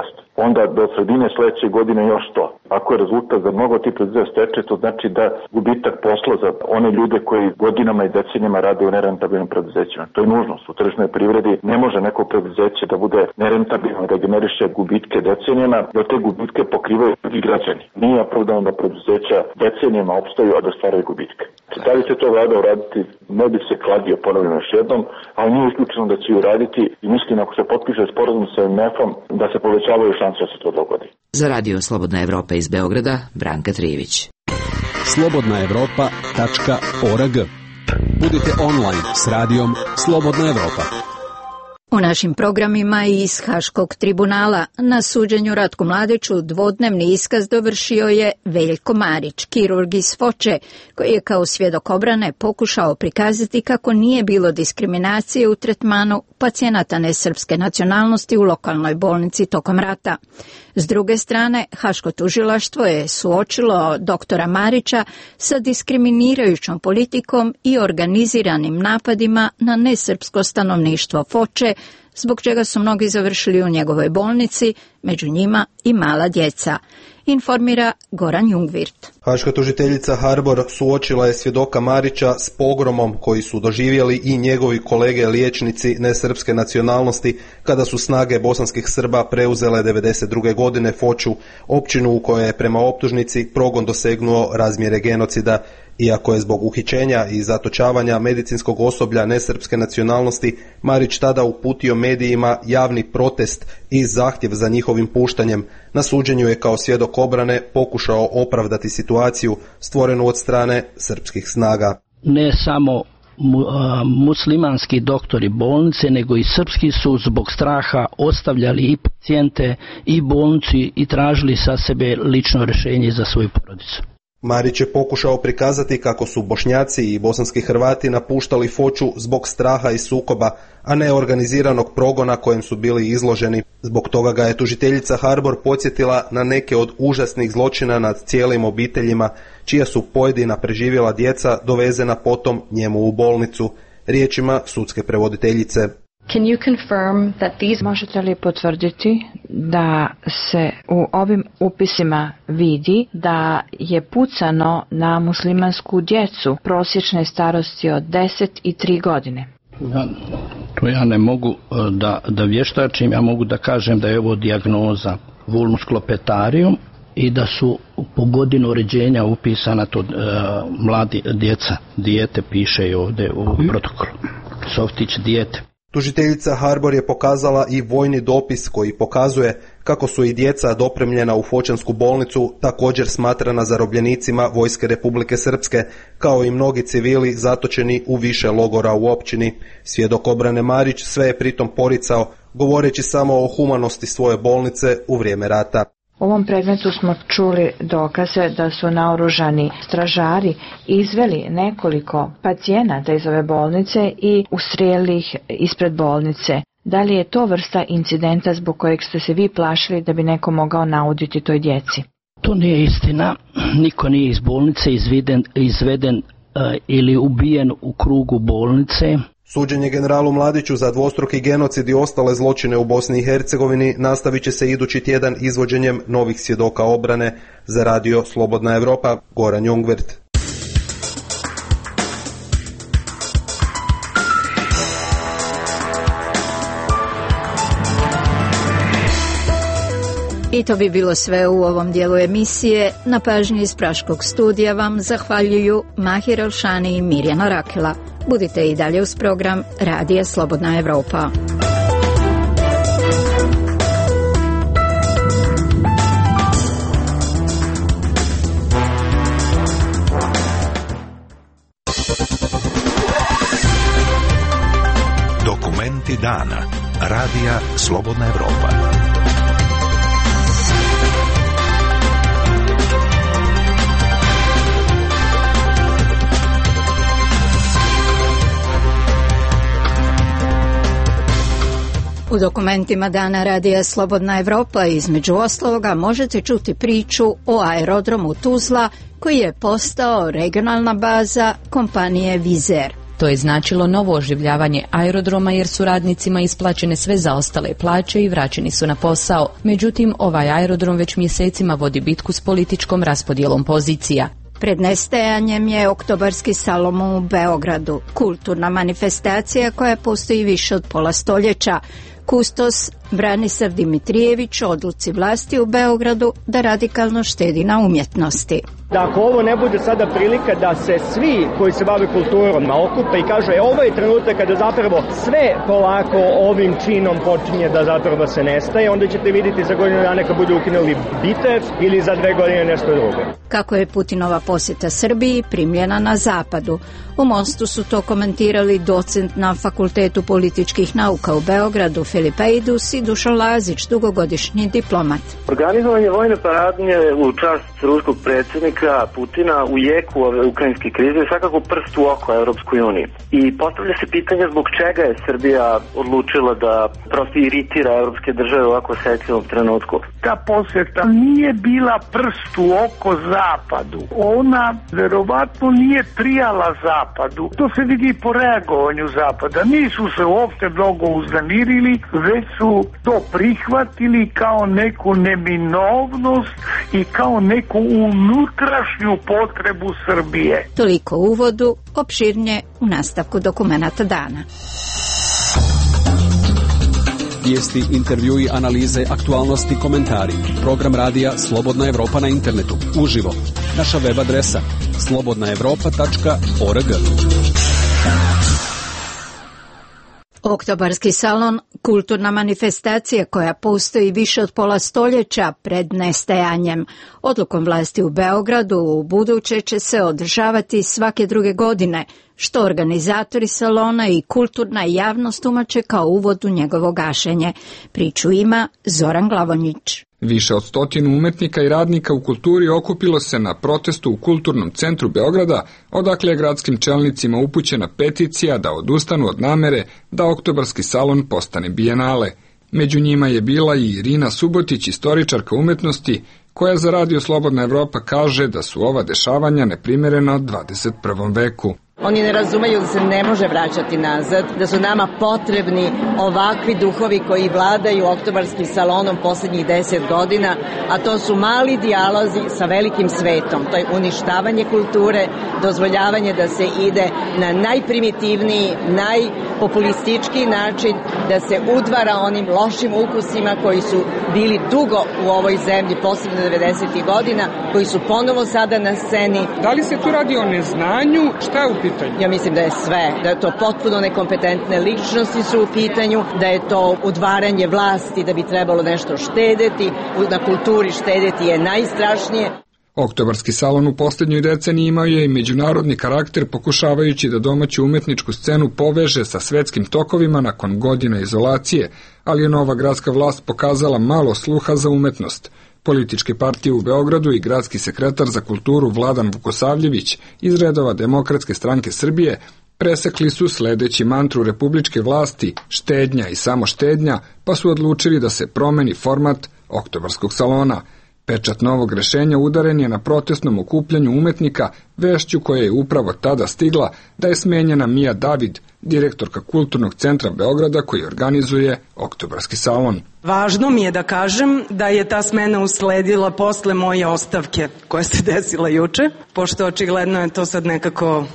Onda do sredine sledeće godine još 100. Ako je rezultat za mnogo tih preduzeća stečaj, to znači da gubitak posla za one ljude koji godinama i decenijama rade u nerentabilnim preduzećima. To je nužnost. U tržišnoj privredi ne može neko preduzeće da bude nerentabilno i da generiše gubitke decenijama, da te gubitke pokrivaju i građani. Nije opravdano da preduzeća decenijama opstaju, a da stvaraju gubitke. Da li će to vlada uraditi, ne bi se kladio, ponavljam još jednom, ali nije isključeno da će uraditi i mislim ako se potpiše sporazum sa MMF-om da se povećavaju šanse da se to dogodi. Za Radio Slobodna Evropa iz Beograda, Branka Trijević. slobodnaevropa.org. Budite online s radijom Slobodna Evropa. U našim programima i iz Haškog tribunala na suđenju Ratku Mladiću dvodnevni iskaz dovršio je Veljko Marić, kirurg iz Foče, koji je kao svjedok obrane pokušao prikazati kako nije bilo diskriminacije u tretmanu pacijenata nesrpske nacionalnosti u lokalnoj bolnici tokom rata. S druge strane, Haško tužilaštvo je suočilo doktora Marića sa diskriminirajućom politikom i organiziranim napadima na nesrpsko stanovništvo Foče, zbog čega su mnogi završili u njegovoj bolnici, među njima i mala djeca. Informira Goran Jungvirt. Haška tužiteljica Harbor suočila je svjedoka Marića s pogromom koji su doživjeli i njegovi kolege liječnici nesrpske nacionalnosti kada su snage bosanskih Srba preuzele 1992. godine Foču, općinu u kojoj je prema optužnici progon dosegnuo razmjere genocida. Iako je zbog uhićenja i zatočavanja medicinskog osoblja nesrpske nacionalnosti Marić tada uputio medijima javni protest i zahtjev za njihovim puštanjem, na suđenju je kao svjedok obrane pokušao opravdati situaciju stvorenu od strane srpskih snaga. Ne samo muslimanski doktori bolnice, nego i srpski su zbog straha ostavljali i pacijente i bolnici i tražili sa sebe lično rješenje za svoju porodicu. Marić je pokušao prikazati kako su Bošnjaci i bosanski Hrvati napuštali Foču zbog straha i sukoba, a ne organiziranog progona kojem su bili izloženi. Zbog toga ga je tužiteljica Harbor podsjetila na neke od užasnih zločina nad cijelim obiteljima, čija su pojedina preživjela djeca dovezena potom njemu u bolnicu. Riječima sudske prevoditeljice. Možete li potvrditi da se u ovim upisima vidi da je pucano na muslimansku djecu prosječne starosti od 10 i 3 godine? Ja ne mogu da vještačim, ja mogu da kažem da je ovo dijagnoza vulnus klopetarium i da su po godinu rođenja upisana to mladi djeca. Dijete piše i ovdje u protokolu. Softić dijete. Tužiteljica Harbor je pokazala i vojni dopis koji pokazuje kako su i djeca dopremljena u Fočansku bolnicu također smatrana zarobljenicima Vojske Republike Srpske, kao i mnogi civili zatočeni u više logora u općini. Svjedok obrane Marić sve je pritom poricao, govoreći samo o humanosti svoje bolnice u vrijeme rata. U ovom predmetu smo čuli dokaze da su naoružani stražari izveli nekoliko pacijenata iz ove bolnice i ustrijelili ih ispred bolnice. Da li je to vrsta incidenta zbog kojeg ste se vi plašili da bi neko mogao nauditi toj djeci? To nije istina. Niko nije iz bolnice izveden ili ubijen u krugu bolnice. Suđenje generalu Mladiću za dvostruki genocid i ostale zločine u Bosni i Hercegovini nastavit će se idući tjedan izvođenjem novih svjedoka obrane. Za radio Slobodna Evropa, Goran Jungvert. I to bi bilo sve u ovom dijelu emisije. Na pažnji iz Praškog studija vam zahvaljuju Mahir Elšani i Mirjana Rakela. Budite i dalje uz program Radija Slobodna Evropa. Dokumenti dana. Radija Slobodna Evropa. U dokumentima dana Radija Slobodna Evropa između ostaloga možete čuti priču o aerodromu Tuzla koji je postao regionalna baza kompanije Vizer. To je značilo novo oživljavanje aerodroma jer su radnicima isplaćene sve zaostale plaće i vraćeni su na posao. Međutim, ovaj aerodrom već mjesecima vodi bitku s političkom raspodjelom pozicija. Pred nestajanjem je Oktobarski salon u Beogradu, kulturna manifestacija koja postoji više od pola stoljeća. Kustos Branislav Dimitrijević odluci vlasti u Beogradu da radikalno štedi na umjetnosti. Da ako ovo ne bude sada prilika da se svi koji se bave kulturom okupe i kažu ovo je trenutak kada zapravo sve polako ovim činom počinje da zapravo se nestaje, onda ćete vidjeti za godinu dana kad budu ukinuli Bitev ili za 2 godine nešto drugo. Kako je Putinova posjeta Srbiji primljena na zapadu? U Mostu su to komentirali docent na Fakultetu političkih nauka u Beogradu Filip Ejdus i Dušan Lazić, dugogodišnji diplomat. Organizovanje vojne paradnje u čast ruskog predsjednika Putina u jeku ove ukrajinske krize je svakako prst u oko Europskoj uniji. I postavlja se pitanje zbog čega je Srbija odlučila da prosto iritira europske države u ovako osjetljivom trenutku. Ta posjeta nije bila prst u oko Zapadu. Ona verovatno nije prijala Zapadu. To se vidi po reagovanju Zapada. Nisu se uopšte mnogo uznemirili, već su to prihvatili kao neku neminovnost i kao neku unutrašnju potrebu Srbije. Toliko u uvodu, opširnije u nastavku dokumenata dana. Vijesti, intervjui, analize, aktualnosti, komentari. Program radija Slobodna Evropa na internetu. Uživo. Naša web adresa slobodnaevropa.org. Oktobarski salon, kulturna manifestacija koja postoji više od pola stoljeća pred nestajanjem. Odlukom vlasti u Beogradu u buduće će se održavati svake druge godine, što organizatori salona i kulturna javnost tumače kao uvod u njegovo gašenje. Priču ima Zoran Glavonjić. Više od 100 umetnika i radnika u kulturi okupilo se na protestu u Kulturnom centru Beograda, odakle je gradskim čelnicima upućena peticija da odustanu od namere da Oktobarski salon postane bijenale. Među njima je bila i Irina Subotić, istoričarka umetnosti, koja za Radio Slobodna Evropa kaže da su ova dešavanja neprimjerena 21. veku. Oni ne razumeju da se ne može vraćati nazad, da su nama potrebni ovakvi duhovi koji vladaju Oktobarskim salonom posljednjih 10 godina, a to su mali dijalozi sa velikim svetom. To je uništavanje kulture, dozvoljavanje da se ide na najprimitivniji, populistički način da se udvara onim lošim ukusima koji su bili dugo u ovoj zemlji, posebno 90. godina, koji su ponovo sada na sceni. Da li se tu radi o neznanju? Šta je u pitanju? Ja mislim da je sve, da je to potpuno nekompetentne ličnosti su u pitanju, da je to udvaranje vlasti, da bi trebalo nešto štedeti, na kulturi štedeti je najstrašnije. Oktobarski salon u posljednjoj deceniji imao je i međunarodni karakter, pokušavajući da domaću umetničku scenu poveže sa svetskim tokovima nakon godina izolacije, ali je nova gradska vlast pokazala malo sluha za umetnost. Političke partije u Beogradu i gradski sekretar za kulturu Vladan Vukosavljević iz redova Demokratske stranke Srbije presekli su sledeći mantru republičke vlasti štednja i samo štednja, pa su odlučili da se promeni format Oktobarskog salona. Pečat novog rešenja udaren je na protestnom okupljanju umetnika, vešću koja je upravo tada stigla da je smenjena Mija David, direktorka Kulturnog centra Beograda koji organizuje Oktobarski salon. Važno mi je da kažem da je ta smena usledila posle moje ostavke koja se desila juče, pošto očigledno je to sad nekako,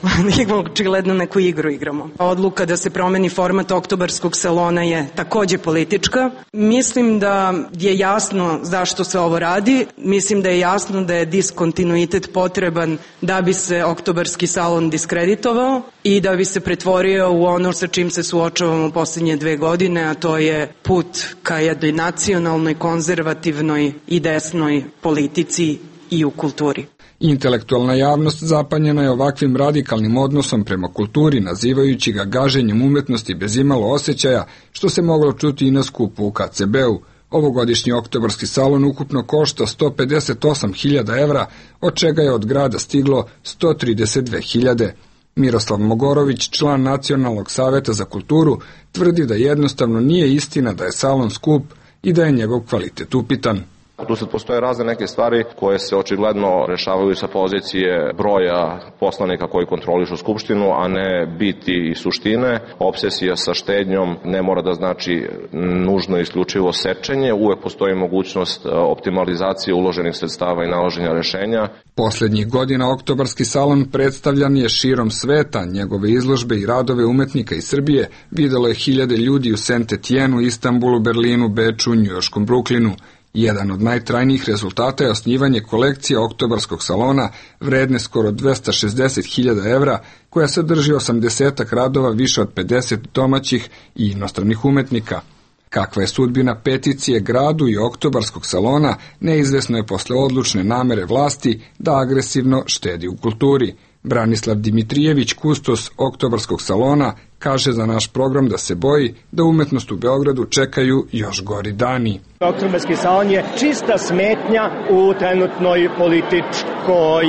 očigledno neku igru igramo. Odluka da se promeni format Oktobarskog salona je takođe politička. Mislim da je jasno zašto se ovo radi. Mislim da je jasno da je diskontinuitet potreban da bi se Oktobarski salon diskreditovao i da bi se pretvorio u ono sa čim se suočavamo poslednje 2 godine, a to je put ka jednoj nacionalnoj, konzervativnoj i desnoj politici i u kulturi. Intelektualna javnost zapanjena je ovakvim radikalnim odnosom prema kulturi, nazivajući ga gaženjem umetnosti bez imalo osjećaja, što se moglo čuti i na skupu u KCB-u. Ovogodišnji Oktobarski salon ukupno košta 158.000 evra, od čega je od grada stiglo 132.000. Miroslav Mogorović, član Nacionalnog saveta za kulturu, tvrdi da jednostavno nije istina da je salon skup i da je njegov kvalitet upitan. Tu sad postoje razne neke stvari koje se očigledno rešavaju sa pozicije broja poslanika koji kontrolišu Skupštinu, a ne biti i suštine. Obsesija sa štednjom ne mora da znači nužno isključivo sečenje, uvek postoji mogućnost optimalizacije uloženih sredstava i nalaženja rešenja. Poslednjih godina Oktobarski salon predstavljan je širom sveta, njegove izložbe i radove umetnika iz Srbije videlo je hiljade ljudi u Saint-Etienne, Istanbulu, Berlinu, Beču, Njujorškom Bruklinu. Jedan od najtrajnijih rezultata je osnivanje kolekcije Oktobarskog salona vredne skoro 260.000 evra, koja sadrži 80 radova više od 50 domaćih i inostranih umetnika. Kakva je sudbina peticije gradu i Oktobarskog salona, neizvesno je posle odlučne namere vlasti da agresivno štedi u kulturi. Branislav Dimitrijević, kustos Oktobarskog salona, kaže za naš program da se boji da umetnost u Beogradu čekaju još gori dani. Oktobarski salon je čista smetnja u trenutnoj političkoj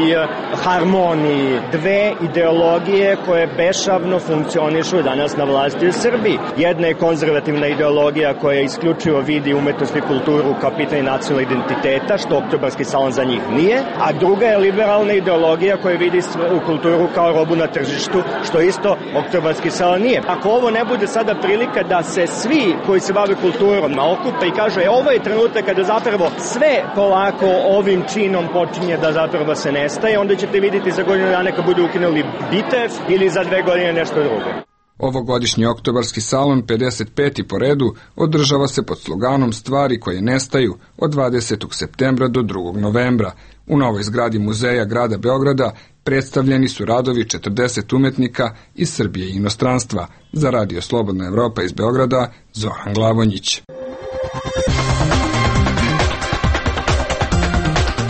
harmoniji. Dve ideologije koje bešavno funkcionišu danas na vlasti u Srbiji. Jedna je konzervativna ideologija koja isključivo vidi umetnost i kulturu kao pitanje nacionalnog identiteta, što Oktobarski salon za njih nije, a druga je liberalna ideologija koja vidi kulturu kao robu na tržištu, što isto Oktobarski salon nije. Ako ovo ne bude sada prilika da se svi koji se bave kulturom okupe i kažu ovo je trenutak kada zapravo sve polako ovim činom počinje da zapravo se nestaje, onda ćete vidjeti za godinu dana kad budu ukinuli BITEF ili za 2 godine nešto drugo. Ovogodišnji Oktobarski salon, 55. po redu, održava se pod sloganom Stvari koje nestaju od 20. septembra do 2. novembra. U novoj zgradi muzeja grada Beograda predstavljeni su radovi 40 umetnika iz Srbije i inostranstva. Za Radio Slobodna Evropa iz Beograda, Zoran Glavonjić.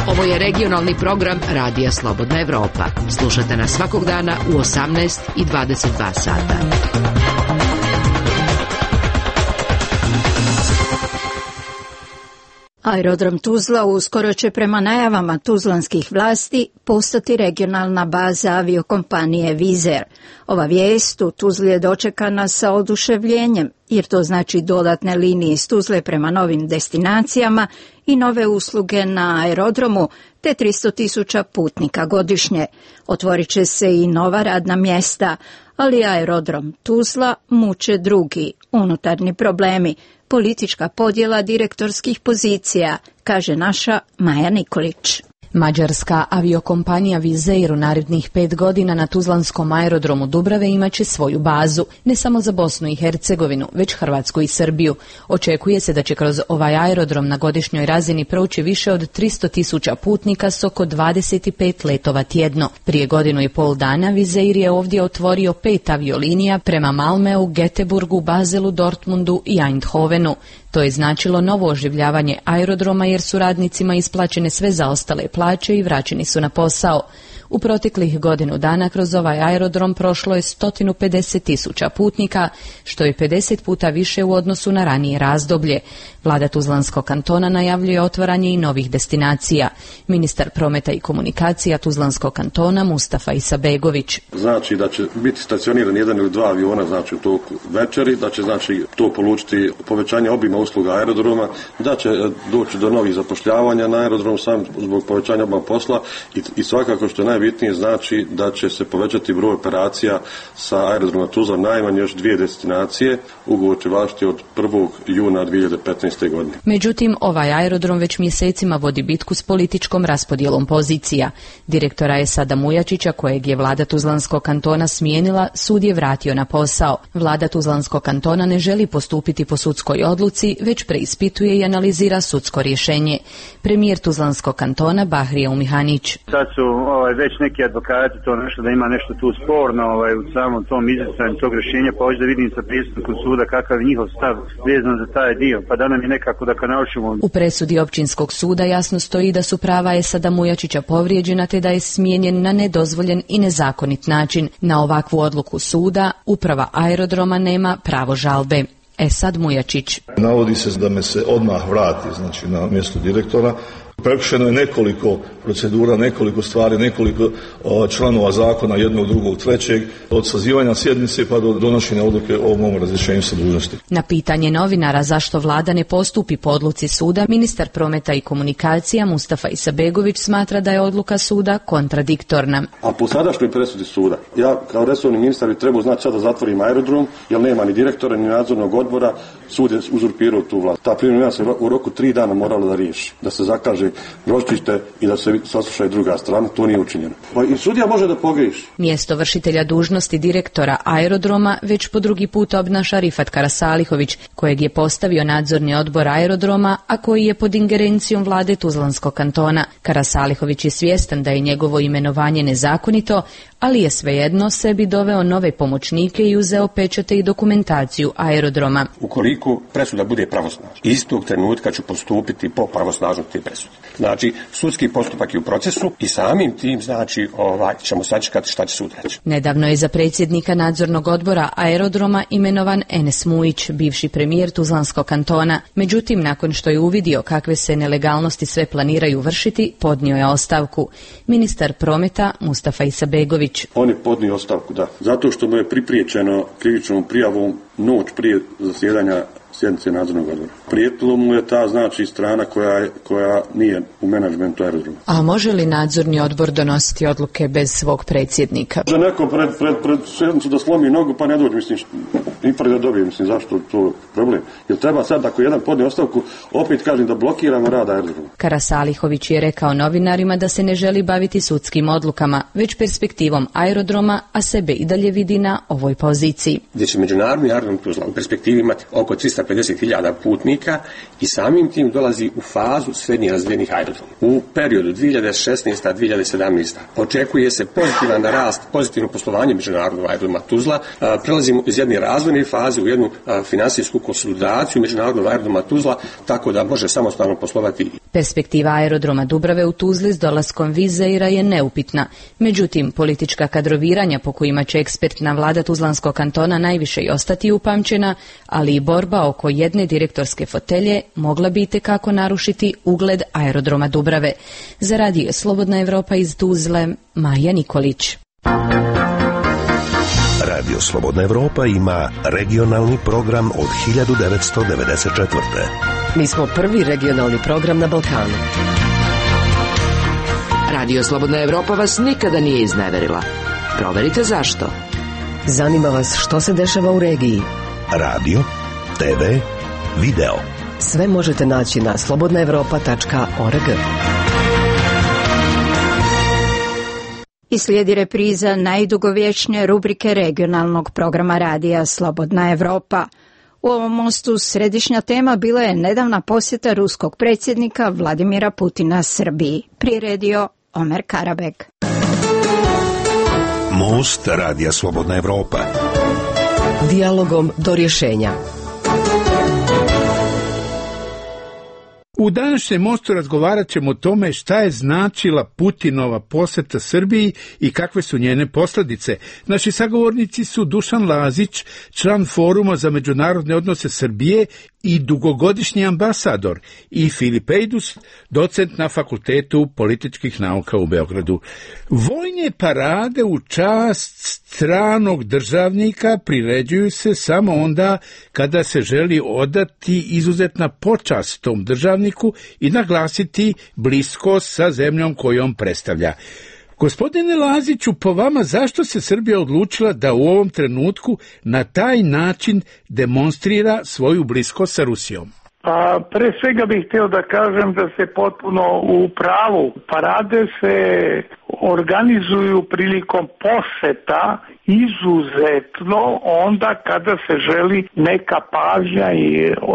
Ovo je regionalni program Radija Slobodna Evropa. Slušate nas svakog dana u 18 i 22 sata. Aerodrom Tuzla uskoro će prema najavama tuzlanskih vlasti postati regionalna baza aviokompanije Wizz Air. Ova vijest u Tuzli je dočekana sa oduševljenjem, jer to znači dodatne linije iz Tuzle prema novim destinacijama i nove usluge na aerodromu, te 300.000 putnika godišnje. Otvorit će se i nova radna mjesta, ali aerodrom Tuzla muče drugi unutarnji problemi, politička podjela direktorskih pozicija, kaže naša Maja Nikolić. Mađarska aviokompanija Wizz Air u narednih 5 godina na tuzlanskom aerodromu Dubrave imaće svoju bazu, ne samo za Bosnu i Hercegovinu, već Hrvatsku i Srbiju. Očekuje se da će kroz ovaj aerodrom na godišnjoj razini proći više od 300.000 putnika s oko 25 letova tjedno. Prije 1,5 dana Wizz Air je ovdje otvorio 5 aviolinija prema Malmeu, Göteborgu, Baselu, Dortmundu i Eindhovenu. To je značilo novo oživljavanje aerodroma jer su radnicima isplaćene sve zaostale plaće i vraćeni su na posao. U proteklih godinu dana kroz ovaj aerodrom prošlo je 150.000 putnika, što je 50 puta više u odnosu na ranije razdoblje. Vlada Tuzlanskog kantona najavljuje otvaranje i novih destinacija. Ministar prometa i komunikacija Tuzlanskog kantona Mustafa Isabegović. Znači da će biti stacioniran 1 ili 2 aviona znači u toku večeri, da će znači to polučiti povećanje obima usluga aerodroma, da će doći do novih zapošljavanja na aerodrom sam zbog povećanja obima posla i svakako što je najbitnije znači da će se povećati broj operacija sa aerodroma Tuzla najmanje još 2 destinacije. Ugovor će važiti od 1. juna 2015. godine. Međutim, ovaj aerodrom već mjesecima vodi bitku s političkom raspodjelom pozicija. Direktora Esada Mujačića, kojeg je vlada Tuzlanskog kantona smijenila, sud je vratio na posao. Vlada Tuzlanskog kantona ne želi postupiti po sudskoj odluci, već preispituje i analizira sudsko rješenje. Premijer Tuzlanskog kantona Bahrije Umihanić. Sad su već neki advokati to nešto da ima nešto tu sporno u samom tom izricanju tog rješenja, pa hoće da vidim sa pristupom suda kakav je njihov stav vezan za taj dio, pa da nam je nekako da naučimo. U presudi općinskog suda jasno stoji da su prava Esada Mujačića povrijeđena te da je smijenjen na nedozvoljen i nezakonit način. Na ovakvu odluku suda uprava aerodroma nema pravo žalbe. Esad Mujačić. Navodi se da me se odmah vrati znači na mjesto direktora. Prekršeno je nekoliko procedura, nekoliko stvari, nekoliko članova zakona, jednog, drugog, trećeg, od sazivanja sjednice pa do donošenja odluke o mom razrješenju sa dužnosti. Na pitanje novinara zašto vlada ne postupi po odluci suda, ministar prometa i komunikacija Mustafa Isabegović smatra da je odluka suda kontradiktorna. A po sadašnjoj presudi suda, ja kao resorni ministar bi trebao znati sada da zatvorim aerodrom, jer nema ni direktora, ni nadzornog odbora, sud je uzurpirao tu vlast. Ta primjena se u roku 3 dana morala da riješi, da se zakaže ročište i da se sasluša i druga strana, to nije učinjeno. I sudija može da pogriješi. Mjesto vršitelja dužnosti direktora aerodroma već po drugi put obnaša Rifat Karasalihović, kojeg je postavio nadzorni odbor aerodroma, a koji je pod ingerencijom vlade Tuzlanskog kantona. Karasalihović je svjestan da je njegovo imenovanje nezakonito, ali je svejedno sebi doveo nove pomoćnike i uzeo pečate i dokumentaciju aerodroma. Ukoliko presuda bude pravosnažna, istog trenutka ću postupiti po pravosnažnosti te presude. Znači, sudski postupak je u procesu i samim tim znači ćemo sačekati šta će sud reći. Nedavno je za predsjednika nadzornog odbora aerodroma imenovan Enes Mujić, bivši premijer Tuzlanskog kantona. Međutim, nakon što je uvidio kakve se nelegalnosti sve planiraju vršiti, podnio je ostavku. Ministar prometa Mustafa Isabegović. On je podnio ostavku, da. Zato što mu je pripriječeno krivičnom prijavom noć prije zasjedanja sjednice nadzornog odbora. Prijetilo mu je ta znači strana koja nije u menadžmentu aerodroma. A može li nadzorni odbor donositi odluke bez svog predsjednika? Može neko pred sjednicu da slomi nogu pa ne dođe, mislim, i da dobije, mislim, zašto to problem? Jer treba sad, ako jedan podne ostavku, opet kažem da blokiramo rad aerodroma. Karasalihović je rekao novinarima da se ne želi baviti sudskim odlukama, već perspektivom aerodroma, a sebe i dalje vidi na ovoj poziciji. Gdje će međunarodni aerodrom Tuzla u perspektivi imati oko 350.000 putnika i samim tim dolazi u fazu srednje razvijenih aerodroma. U periodu 2016-2017 očekuje se pozitivan rast, pozitivno poslovanje međunarodnog aerodroma Tuzla. Prelazimo iz jedne razvojne faze u jednu finansijsku konsolidaciju međunarodnog aerodroma Tuzla, tako da može samostalno poslovati. Perspektiva aerodroma Dubrave u Tuzli s dolaskom Wizz Aira je neupitna. Međutim, politička kadroviranja po kojima će ekspertna vlada Tuzlanskog kantona najviše i ostati upamćena, ali i borba oko jedne direktorske fotelje mogla bi itekako narušiti ugled aerodroma Dubrave. Za radio Slobodna Evropa iz Tuzle, Maja Nikolić. Radio Slobodna Evropa ima regionalni program od 1994. Mi smo prvi regionalni program na Balkanu. Radio Slobodna Evropa vas nikada nije izneverila. Proverite zašto. Zanima vas što se dešava u regiji. Radio, TV, video. Sve možete naći na slobodnaevropa.org. I slijedi repriza najdugovječnije rubrike regionalnog programa radija Slobodna Evropa. U ovom mostu središnja tema bila je nedavna posjeta ruskog predsjednika Vladimira Putina Srbiji. Priredio Omer Karabek. Most radija Slobodna Evropa. Dijalogom do rješenja. U današnjem mostu razgovarat ćemo o tome šta je značila Putinova posjeta Srbiji i kakve su njene posljedice. Naši sagovornici su Dušan Lazić, član Foruma za međunarodne odnose Srbije i dugogodišnji ambasador, i Filip Ejdus, docent na Fakultetu političkih nauka u Beogradu. Vojne parade u čast stranog državnika priređuju se samo onda kada se želi odati izuzetna počast tom državniku i naglasiti bliskost sa zemljom kojom predstavlja. Gospodine Laziću, po vama, zašto se Srbija odlučila da u ovom trenutku na taj način demonstrira svoju bliskost sa Rusijom? Pre svega bih htio da kažem da se potpuno u pravu. Parade se organizuju prilikom poseta izuzetno onda kada se želi neka pažnja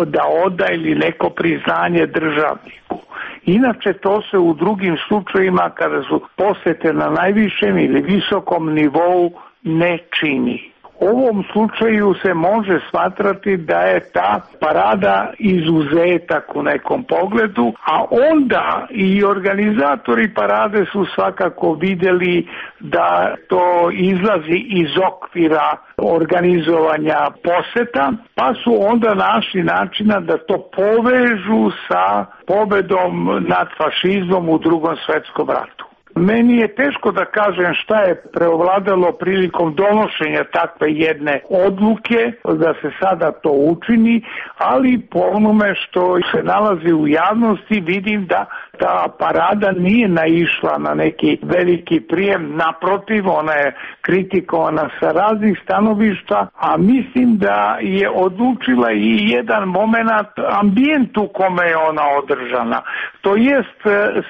da oda ili neko priznanje državniku. Inače to se u drugim slučajima kada su posete na najvišem ili visokom nivou ne čini. U ovom slučaju se može smatrati da je ta parada izuzetak u nekom pogledu, a onda i organizatori parade su svakako vidjeli da to izlazi iz okvira organizovanja poseta, pa su onda našli načina da to povežu sa pobedom nad fašizmom u Drugom svjetskom ratu. Meni je teško da kažem šta je preovladalo prilikom donošenja takve jedne odluke, da se sada to učini, ali po onome što se nalazi u javnosti vidim da ta parada nije naišla na neki veliki prijem, naprotiv, ona je kritikovana sa raznih stanovišta, a mislim da je odlučila i jedan moment ambijent u kome je ona održana. To jest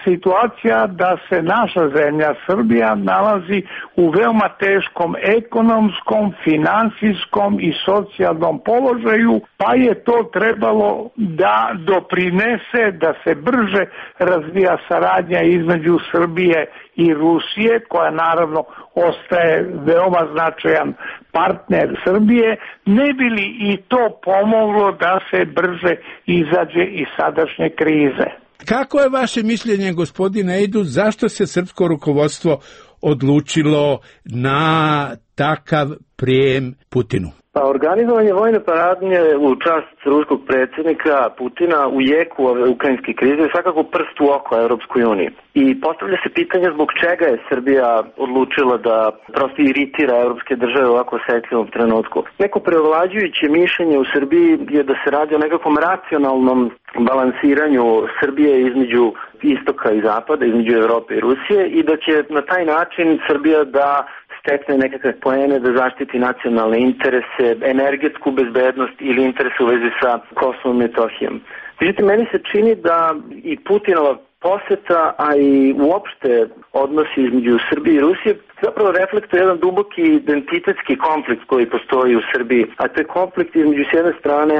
situacija da se naša zemlja Srbija nalazi u veoma teškom ekonomskom, finansijskom i socijalnom položaju, pa je to trebalo da doprinese da se brže razvija saradnja između Srbije i Rusije, koja naravno ostaje veoma značajan partner Srbije, ne bi li i to pomoglo da se brže izađe iz sadašnje krize. Kako je vaše mišljenje, gospodine Ejdu, zašto se srpsko rukovodstvo odlučilo na takav prijem Putinu? Pa organizovanje vojne paradnje u čast ruskog predsjednika Putina u jeku ove ukrajinske krize je svakako prst u oko Europskoj uniji. I postavlja se pitanje zbog čega je Srbija odlučila da prosto iritira europske države u ovako osjetljivom trenutku. Neko preovlađujuće mišljenje u Srbiji je da se radi o nekakvom racionalnom balansiranju Srbije između istoka i zapada, između Evrope i Rusije, i da će na taj način Srbija da stekne nekakve poene, da zaštiti nacionalne interese, energetsku bezbednost ili interese u vezi sa Kosovom i Metohijom. Međutim, meni se čini da i Putinova poseta, a i uopšte odnosi između Srbije i Rusije zapravo reflektuje jedan duboki identitetski konflikt koji postoji u Srbiji, a to je konflikt između s jedne strane,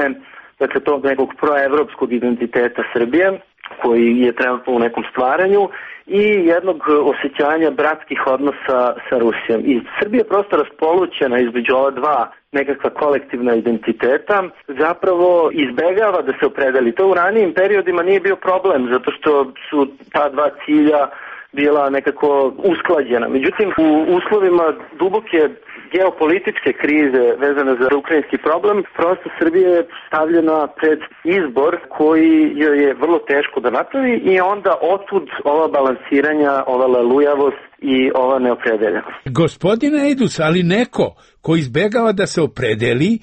dakle, tog nekog proevropskog identiteta Srbije, koji je trenutno u nekom stvaranju, i jednog osjećanja bratskih odnosa sa Rusijom. I Srbija je prosto raspolućena između ova dva nekakva kolektivna identiteta, zapravo izbegava da se opredeli. To u ranijim periodima nije bio problem, zato što su ta dva cilja bila nekako usklađena. Međutim, u uslovima duboke geopolitičke krize vezane za ukrajinski problem, prosto Srbija je stavljena pred izbor koji joj je vrlo teško da napravi, i onda otud ova balansiranja, ova lelujavost i ova neopredeljenost. Gospodine Ejdus, ali neko ko izbegava da se opredeli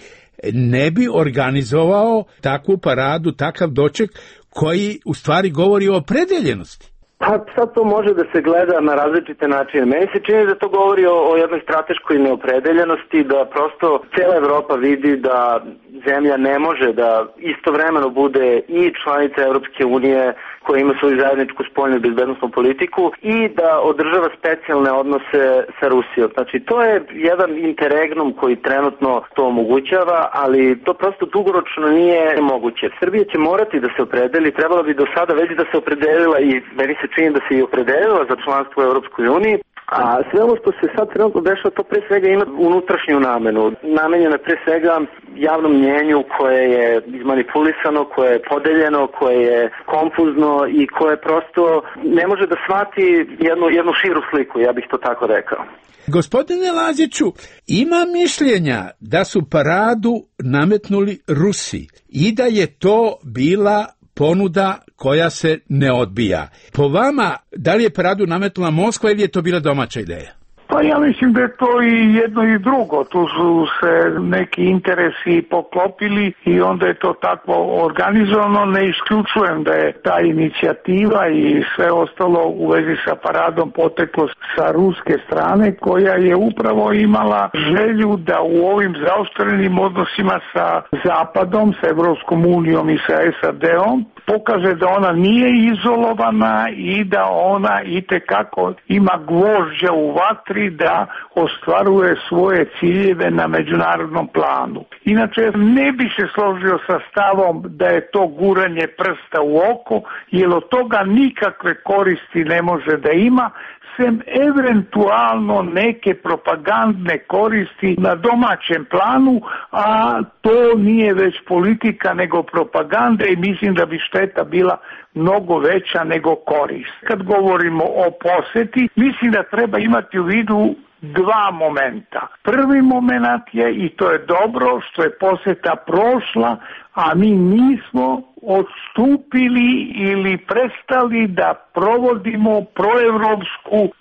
ne bi organizovao takvu paradu, takav doček koji u stvari govori o opredeljenosti. Pa sad to može da se gleda na različite načine. Meni se čini da to govori o jednoj strateškoj neopredeljenosti, da prosto cijela Evropa vidi da zemlja ne može da istovremeno bude i članica Evropske unije koja ima svoju zajedničku spoljnu i bezbednosnu politiku i da održava specijalne odnose sa Rusijom. Znači to je jedan interregnum koji trenutno to omogućava, ali to prosto dugoročno nije moguće. Srbija će morati da se opredeli, trebala bi do sada već da se opredelila i meni se čini da se i opredelila za članstvo u Evropskoj uniji. A sve ovo što se sad trenutno dešava, to pre svega ima unutrašnju namenu. Namenjeno pre svega javnom mnjenju koje je izmanipulisano, koje je podeljeno, koje je konfuzno i koje prosto ne može da shvati jednu širu sliku, ja bih to tako rekao. Gospodine Laziću, ima mišljenja da su paradu nametnuli Rusi i da je to bila ponuda koja se ne odbija. Po vama, da li je paradu nametnula Moskva ili je to bila domaća ideja? Pa ja mislim da je to i jedno i drugo. Tu su se neki interesi poklopili i onda je to tako organizovano. Ne isključujem da je ta inicijativa i sve ostalo u vezi sa paradom poteklo sa ruske strane, koja je upravo imala želju da u ovim zaoštrenim odnosima sa Zapadom, sa Evropskom unijom i sa SAD-om pokaže da ona nije izolovana i da ona itekako ima gvožđa u vatri da ostvaruje svoje ciljeve na međunarodnom planu. Inače, ne bi se složio sa stavom da je to guranje prsta u oko, jer od toga nikakve koristi ne može da ima, sem eventualno neke propagandne koristi na domaćem planu, a to nije već politika nego propaganda i mislim da bi šteta bila mnogo veća nego korist. Kad govorimo o poseti, mislim da treba imati u vidu dva momenta. Prvi moment je, i to je dobro, što je poseta prošla, a mi nismo odstupili ili prestali da provodimo proevropsku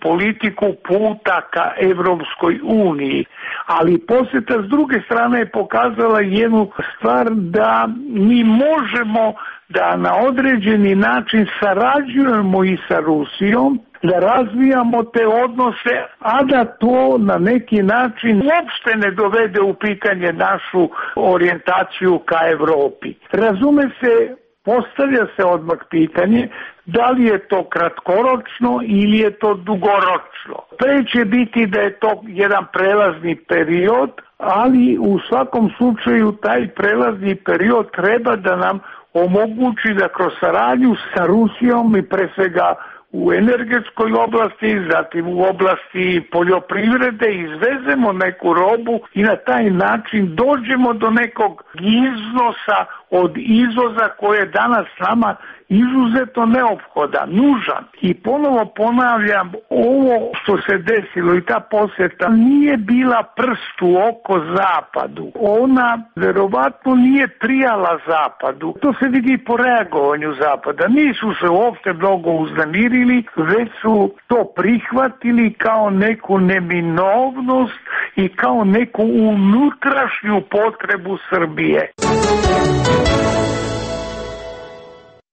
politiku puta ka Evropskoj uniji. Ali poseta s druge strane je pokazala jednu stvar da mi možemo da na određeni način sarađujemo i sa Rusijom, da razvijamo te odnose, a da to na neki način uopšte ne dovede u pitanje našu orijentaciju ka Evropi. Razume se, postavlja se odmah pitanje da li je to kratkoročno ili je to dugoročno. Pre će biti da je to jedan prelazni period, ali u svakom slučaju taj prelazni period treba da nam omogući da kroz saradnju sa Rusijom i pre svega u energetskoj oblasti, zatim u oblasti poljoprivrede izvezemo neku robu i na taj način dođemo do nekog iznosa od izvoza koje je danas nama izuzetno neophodan, nužan. I ponovo ponavljam, ovo što se desilo i ta posjeta nije bila prst u oko Zapadu. Ona verovatno nije prijala Zapadu. To se vidi po reagovanju Zapada. Nisu se uopšte mnogo uznemirili, već su to prihvatili kao neku neminovnost i kao neku unutrašnju potrebu Srbije.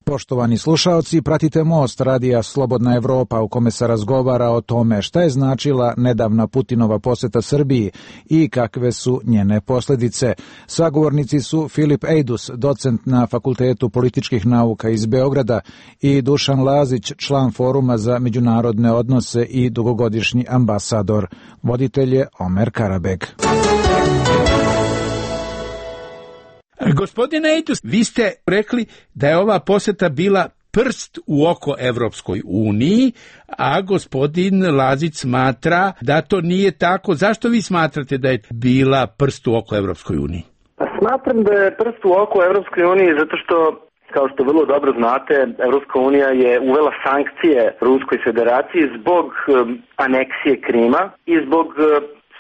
Poštovani slušaoci, pratite Most radija Slobodna Evropa u kome se razgovara o tome šta je značila nedavna Putinova poseta Srbiji i kakve su njene posljedice. Sagovornici su Filip Ejdus, docent na Fakultetu političkih nauka iz Beograda, i Dušan Lazić, član Foruma za međunarodne odnose i dugogodišnji ambasador. Voditelj je Omer Karabeg. Gospodine Ejdus, vi ste rekli da je ova poseta bila prst u oko Evropskoj uniji, a gospodin Lazić smatra da to nije tako. Zašto vi smatrate da je bila prst u oko Evropskoj uniji? Pa smatram da je prst u oko Evropskoj uniji zato što, kao što vrlo dobro znate, Evropska unija je uvela sankcije Ruskoj federaciji zbog aneksije Krima i zbog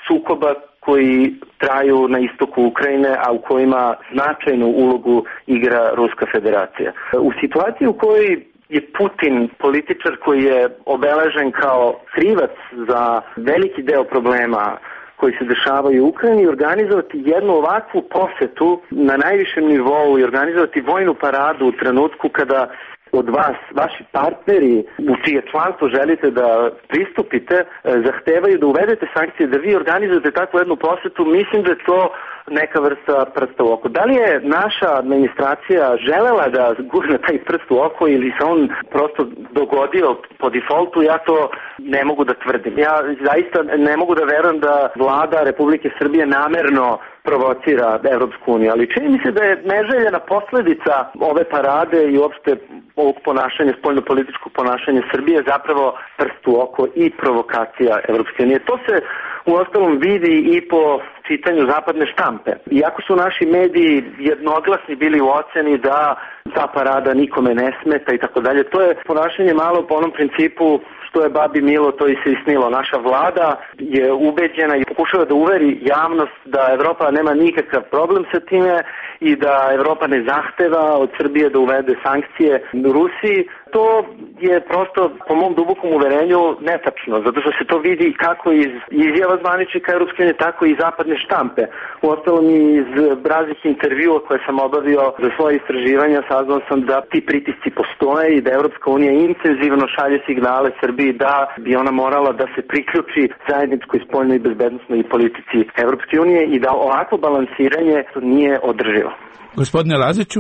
sukoba koji traju na istoku Ukrajine, a u kojima značajnu ulogu igra Ruska federacija. U situaciji u kojoj je Putin političar koji je obeležen kao krivac za veliki deo problema koji se dešavaju u Ukrajini, organizovati jednu ovakvu posetu na najvišem nivou i organizovati vojnu paradu u trenutku kada od vas, vaši partneri u čije članstvo želite da pristupite, zahtevaju da uvedete sankcije, da vi organizujete takvu jednu posetu, mislim da je to neka vrsta prsta u oko. Da li je naša administracija želela da gurne taj prst u oko ili se on prosto dogodio po defaultu, ja to ne mogu da tvrdim. Ja zaista ne mogu da verujem da vlada Republike Srbije namerno provocira Evropsku uniju, ali čini mi se da je neželjena posledica ove parade i uopšte ovog ponašanja, spoljnopolitičkog ponašanja Srbije zapravo prst u oko i provokacija Evropske unije. To se uostalom vidi i po čitanju zapadne štampe. Iako su naši mediji jednoglasni bili u oceni da ta parada nikome ne smeta i tako dalje, to je ponašanje malo po onom principu što je babi milo, to i se isnilo. Naša vlada je ubeđena i pokušava da uveri javnost da Evropa nema nikakav problem sa time i da Evropa ne zahteva od Srbije da uvede sankcije Rusiji. To je prosto, po mom dubokom uverenju, netačno, zato što se to vidi kako iz izjava zvaničnika Evropske unije, tako i zapadne štampe. Uostalom i iz raznih intervjua koje sam obavio za svoje istraživanja, saznao sam da ti pritisci postoje i da Evropska unija intenzivno šalje signale Srbiji da bi ona morala da se priključi zajedničkoj spoljnoj i bezbednosnoj politici Evropske unije i da ovakvo balansiranje nije održivo. Gospodine Laziću?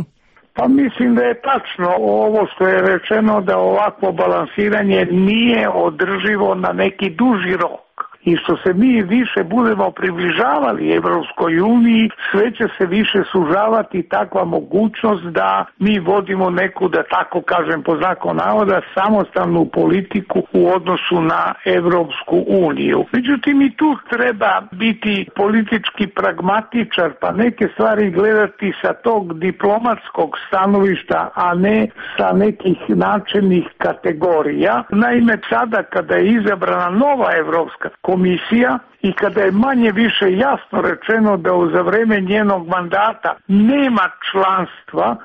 Pa mislim da je tačno ovo što je rečeno, da ovakvo balansiranje nije održivo na neki duži rok. I što se mi više budemo približavali Evropskoj uniji, sve će se više sužavati takva mogućnost da mi vodimo neku, da tako kažem po znaku navoda, samostalnu politiku u odnosu na Evropsku uniju. Međutim, i tu treba biti politički pragmatičar, pa neke stvari gledati sa tog diplomatskog stanovišta, a ne sa nekih načelnih kategorija. Naime, sada kada je izabrana nova Evropska komisija i kada je manje više jasno rečeno da za vreme njenog mandata nema članstva,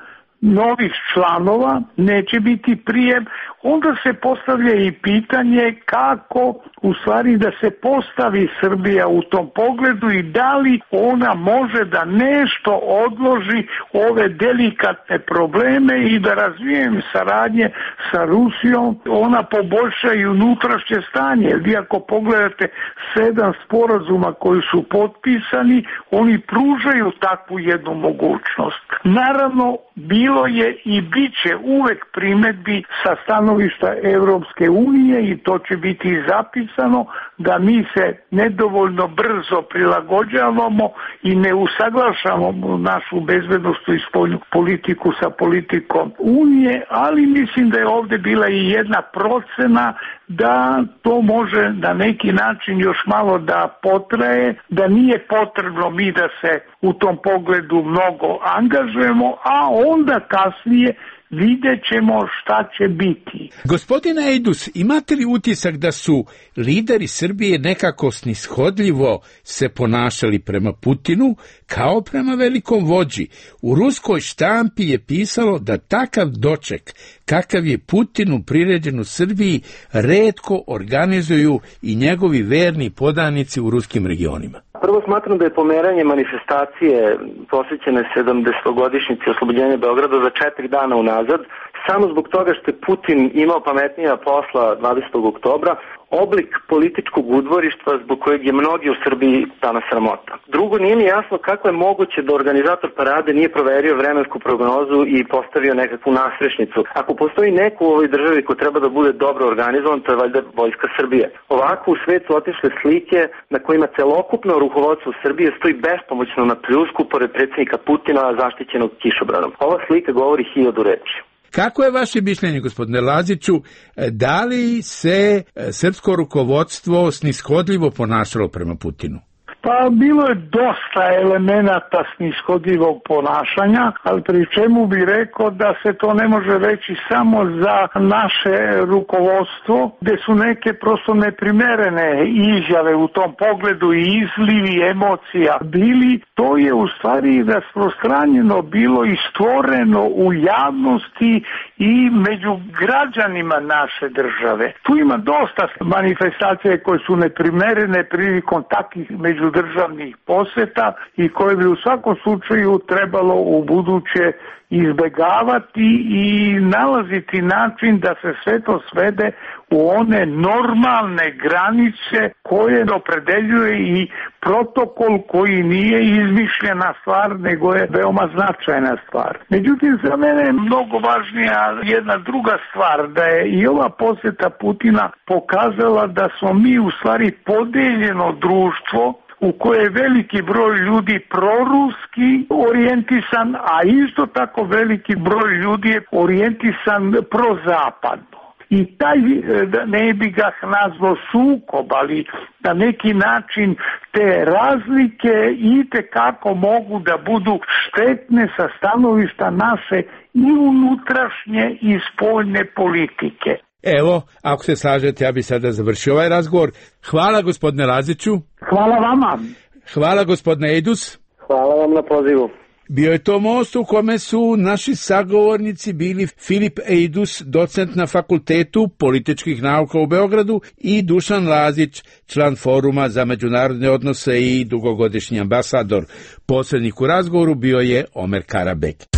novih članova, neće biti prijem, onda se postavlja i pitanje kako u stvari da se postavi Srbija u tom pogledu i da li ona može da nešto odloži ove delikatne probleme i da razvijem saradnje sa Rusijom, ona poboljša i unutrašnje stanje. Vi ako pogledate 7 sporazuma koji su potpisani, oni pružaju takvu jednu mogućnost. Naravno, bilo je i bit će uvek primedbi sa stanovišta Evropske unije i to će biti zapisano da mi se nedovoljno brzo prilagođavamo i ne usaglašavamo našu bezbednosnu i spoljnu politiku sa politikom Unije, ali mislim da je ovde bila i jedna procena da to može na neki način još malo da potraje, da nije potrebno mi da se u tom pogledu mnogo angažujemo, a onda kasnije vidjet ćemo šta će biti. Gospodine Ejdus, imate li utisak da su lideri Srbije nekako snishodljivo se ponašali prema Putinu kao prema velikom vođi? U ruskoj štampi je pisalo da takav doček kakav je Putinu priređen u Srbiji retko organizuju i njegovi verni podanici u ruskim regionima. Prvo smatram da je pomeranje manifestacije posvećene 70-godišnjici oslobođenja Beograda za 4 dana unazad, samo zbog toga što je Putin imao pametnija posla 20. oktobra, oblik političkog udvorištva zbog kojeg je mnogi u Srbiji danas sramota. Drugo, nije mi jasno kako je moguće da organizator parade nije proverio vremensku prognozu i postavio nekakvu nasrešnicu. Ako postoji neko u ovoj državi ko treba da bude dobro organizovan, to je valjda Vojska Srbije. Ovako u svetu otišle slike na kojima celokupno rukovodstvo Srbije stoji bespomoćno na pljusku pored predsjednika Putina zaštićenog kišobranom. Ova slika govori 1000 reči. Kako je vaše mišljenje, gospodine Laziću, da li se srpsko rukovodstvo snishodljivo ponašalo prema Putinu? Pa bilo je dosta elemenata snishodljivog ponašanja, ali pri čemu bi rekao da se to ne može reći samo za naše rukovodstvo, gde su neke prosto neprimerene izjave u tom pogledu i izlivi emocija bili. To je u stvari rasprostranjeno bilo i stvoreno u javnosti i među građanima naše države. Tu ima dosta manifestacije koje su neprimerene prilikom takvih međudržavnih državnih poseta i koje bi u svakom slučaju trebalo u buduće izbegavati i nalaziti način da se sve to svede u one normalne granice koje opredeljuje i protokol koji nije izmišljena stvar, nego je veoma značajna stvar. Međutim, za mene je mnogo važnija jedna druga stvar, da je i ova poseta Putina pokazala da smo mi u stvari podeljeno društvo u koje je veliki broj ljudi proruski orijentisan, a isto tako veliki broj ljudi je orijentisan prozapadno. I taj, ne bi ga nazvao sukob, ali na neki način te razlike itekako mogu da budu štetne sa stanovišta naše i unutrašnje i spoljne politike. Evo, ako se slažete, ja bih sada završio ovaj razgovor. Hvala gospodine Laziću. Hvala vama. Hvala gospodine Ejdus. Hvala vam na pozivu. Bio je to most u kome su naši sagovornici bili Filip Ejdus, docent na Fakultetu političkih nauka u Beogradu, i Dušan Lazić, član Foruma za međunarodne odnose i dugogodišnji ambasador. Posrednik u razgovoru bio je Omer Karabek.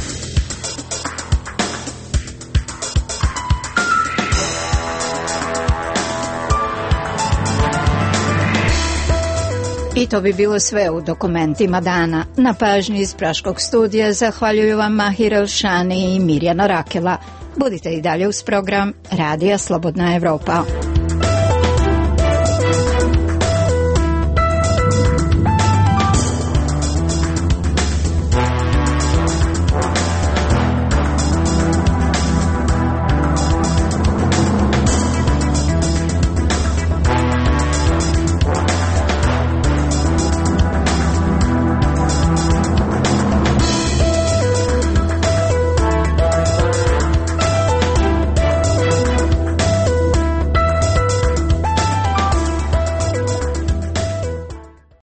I to bi bilo sve u dokumentima dana. Na pažnji iz Praškog studija zahvaljuju vam Mahir Elšani i Mirjana Rakela. Budite i dalje uz program Radija Slobodna Evropa.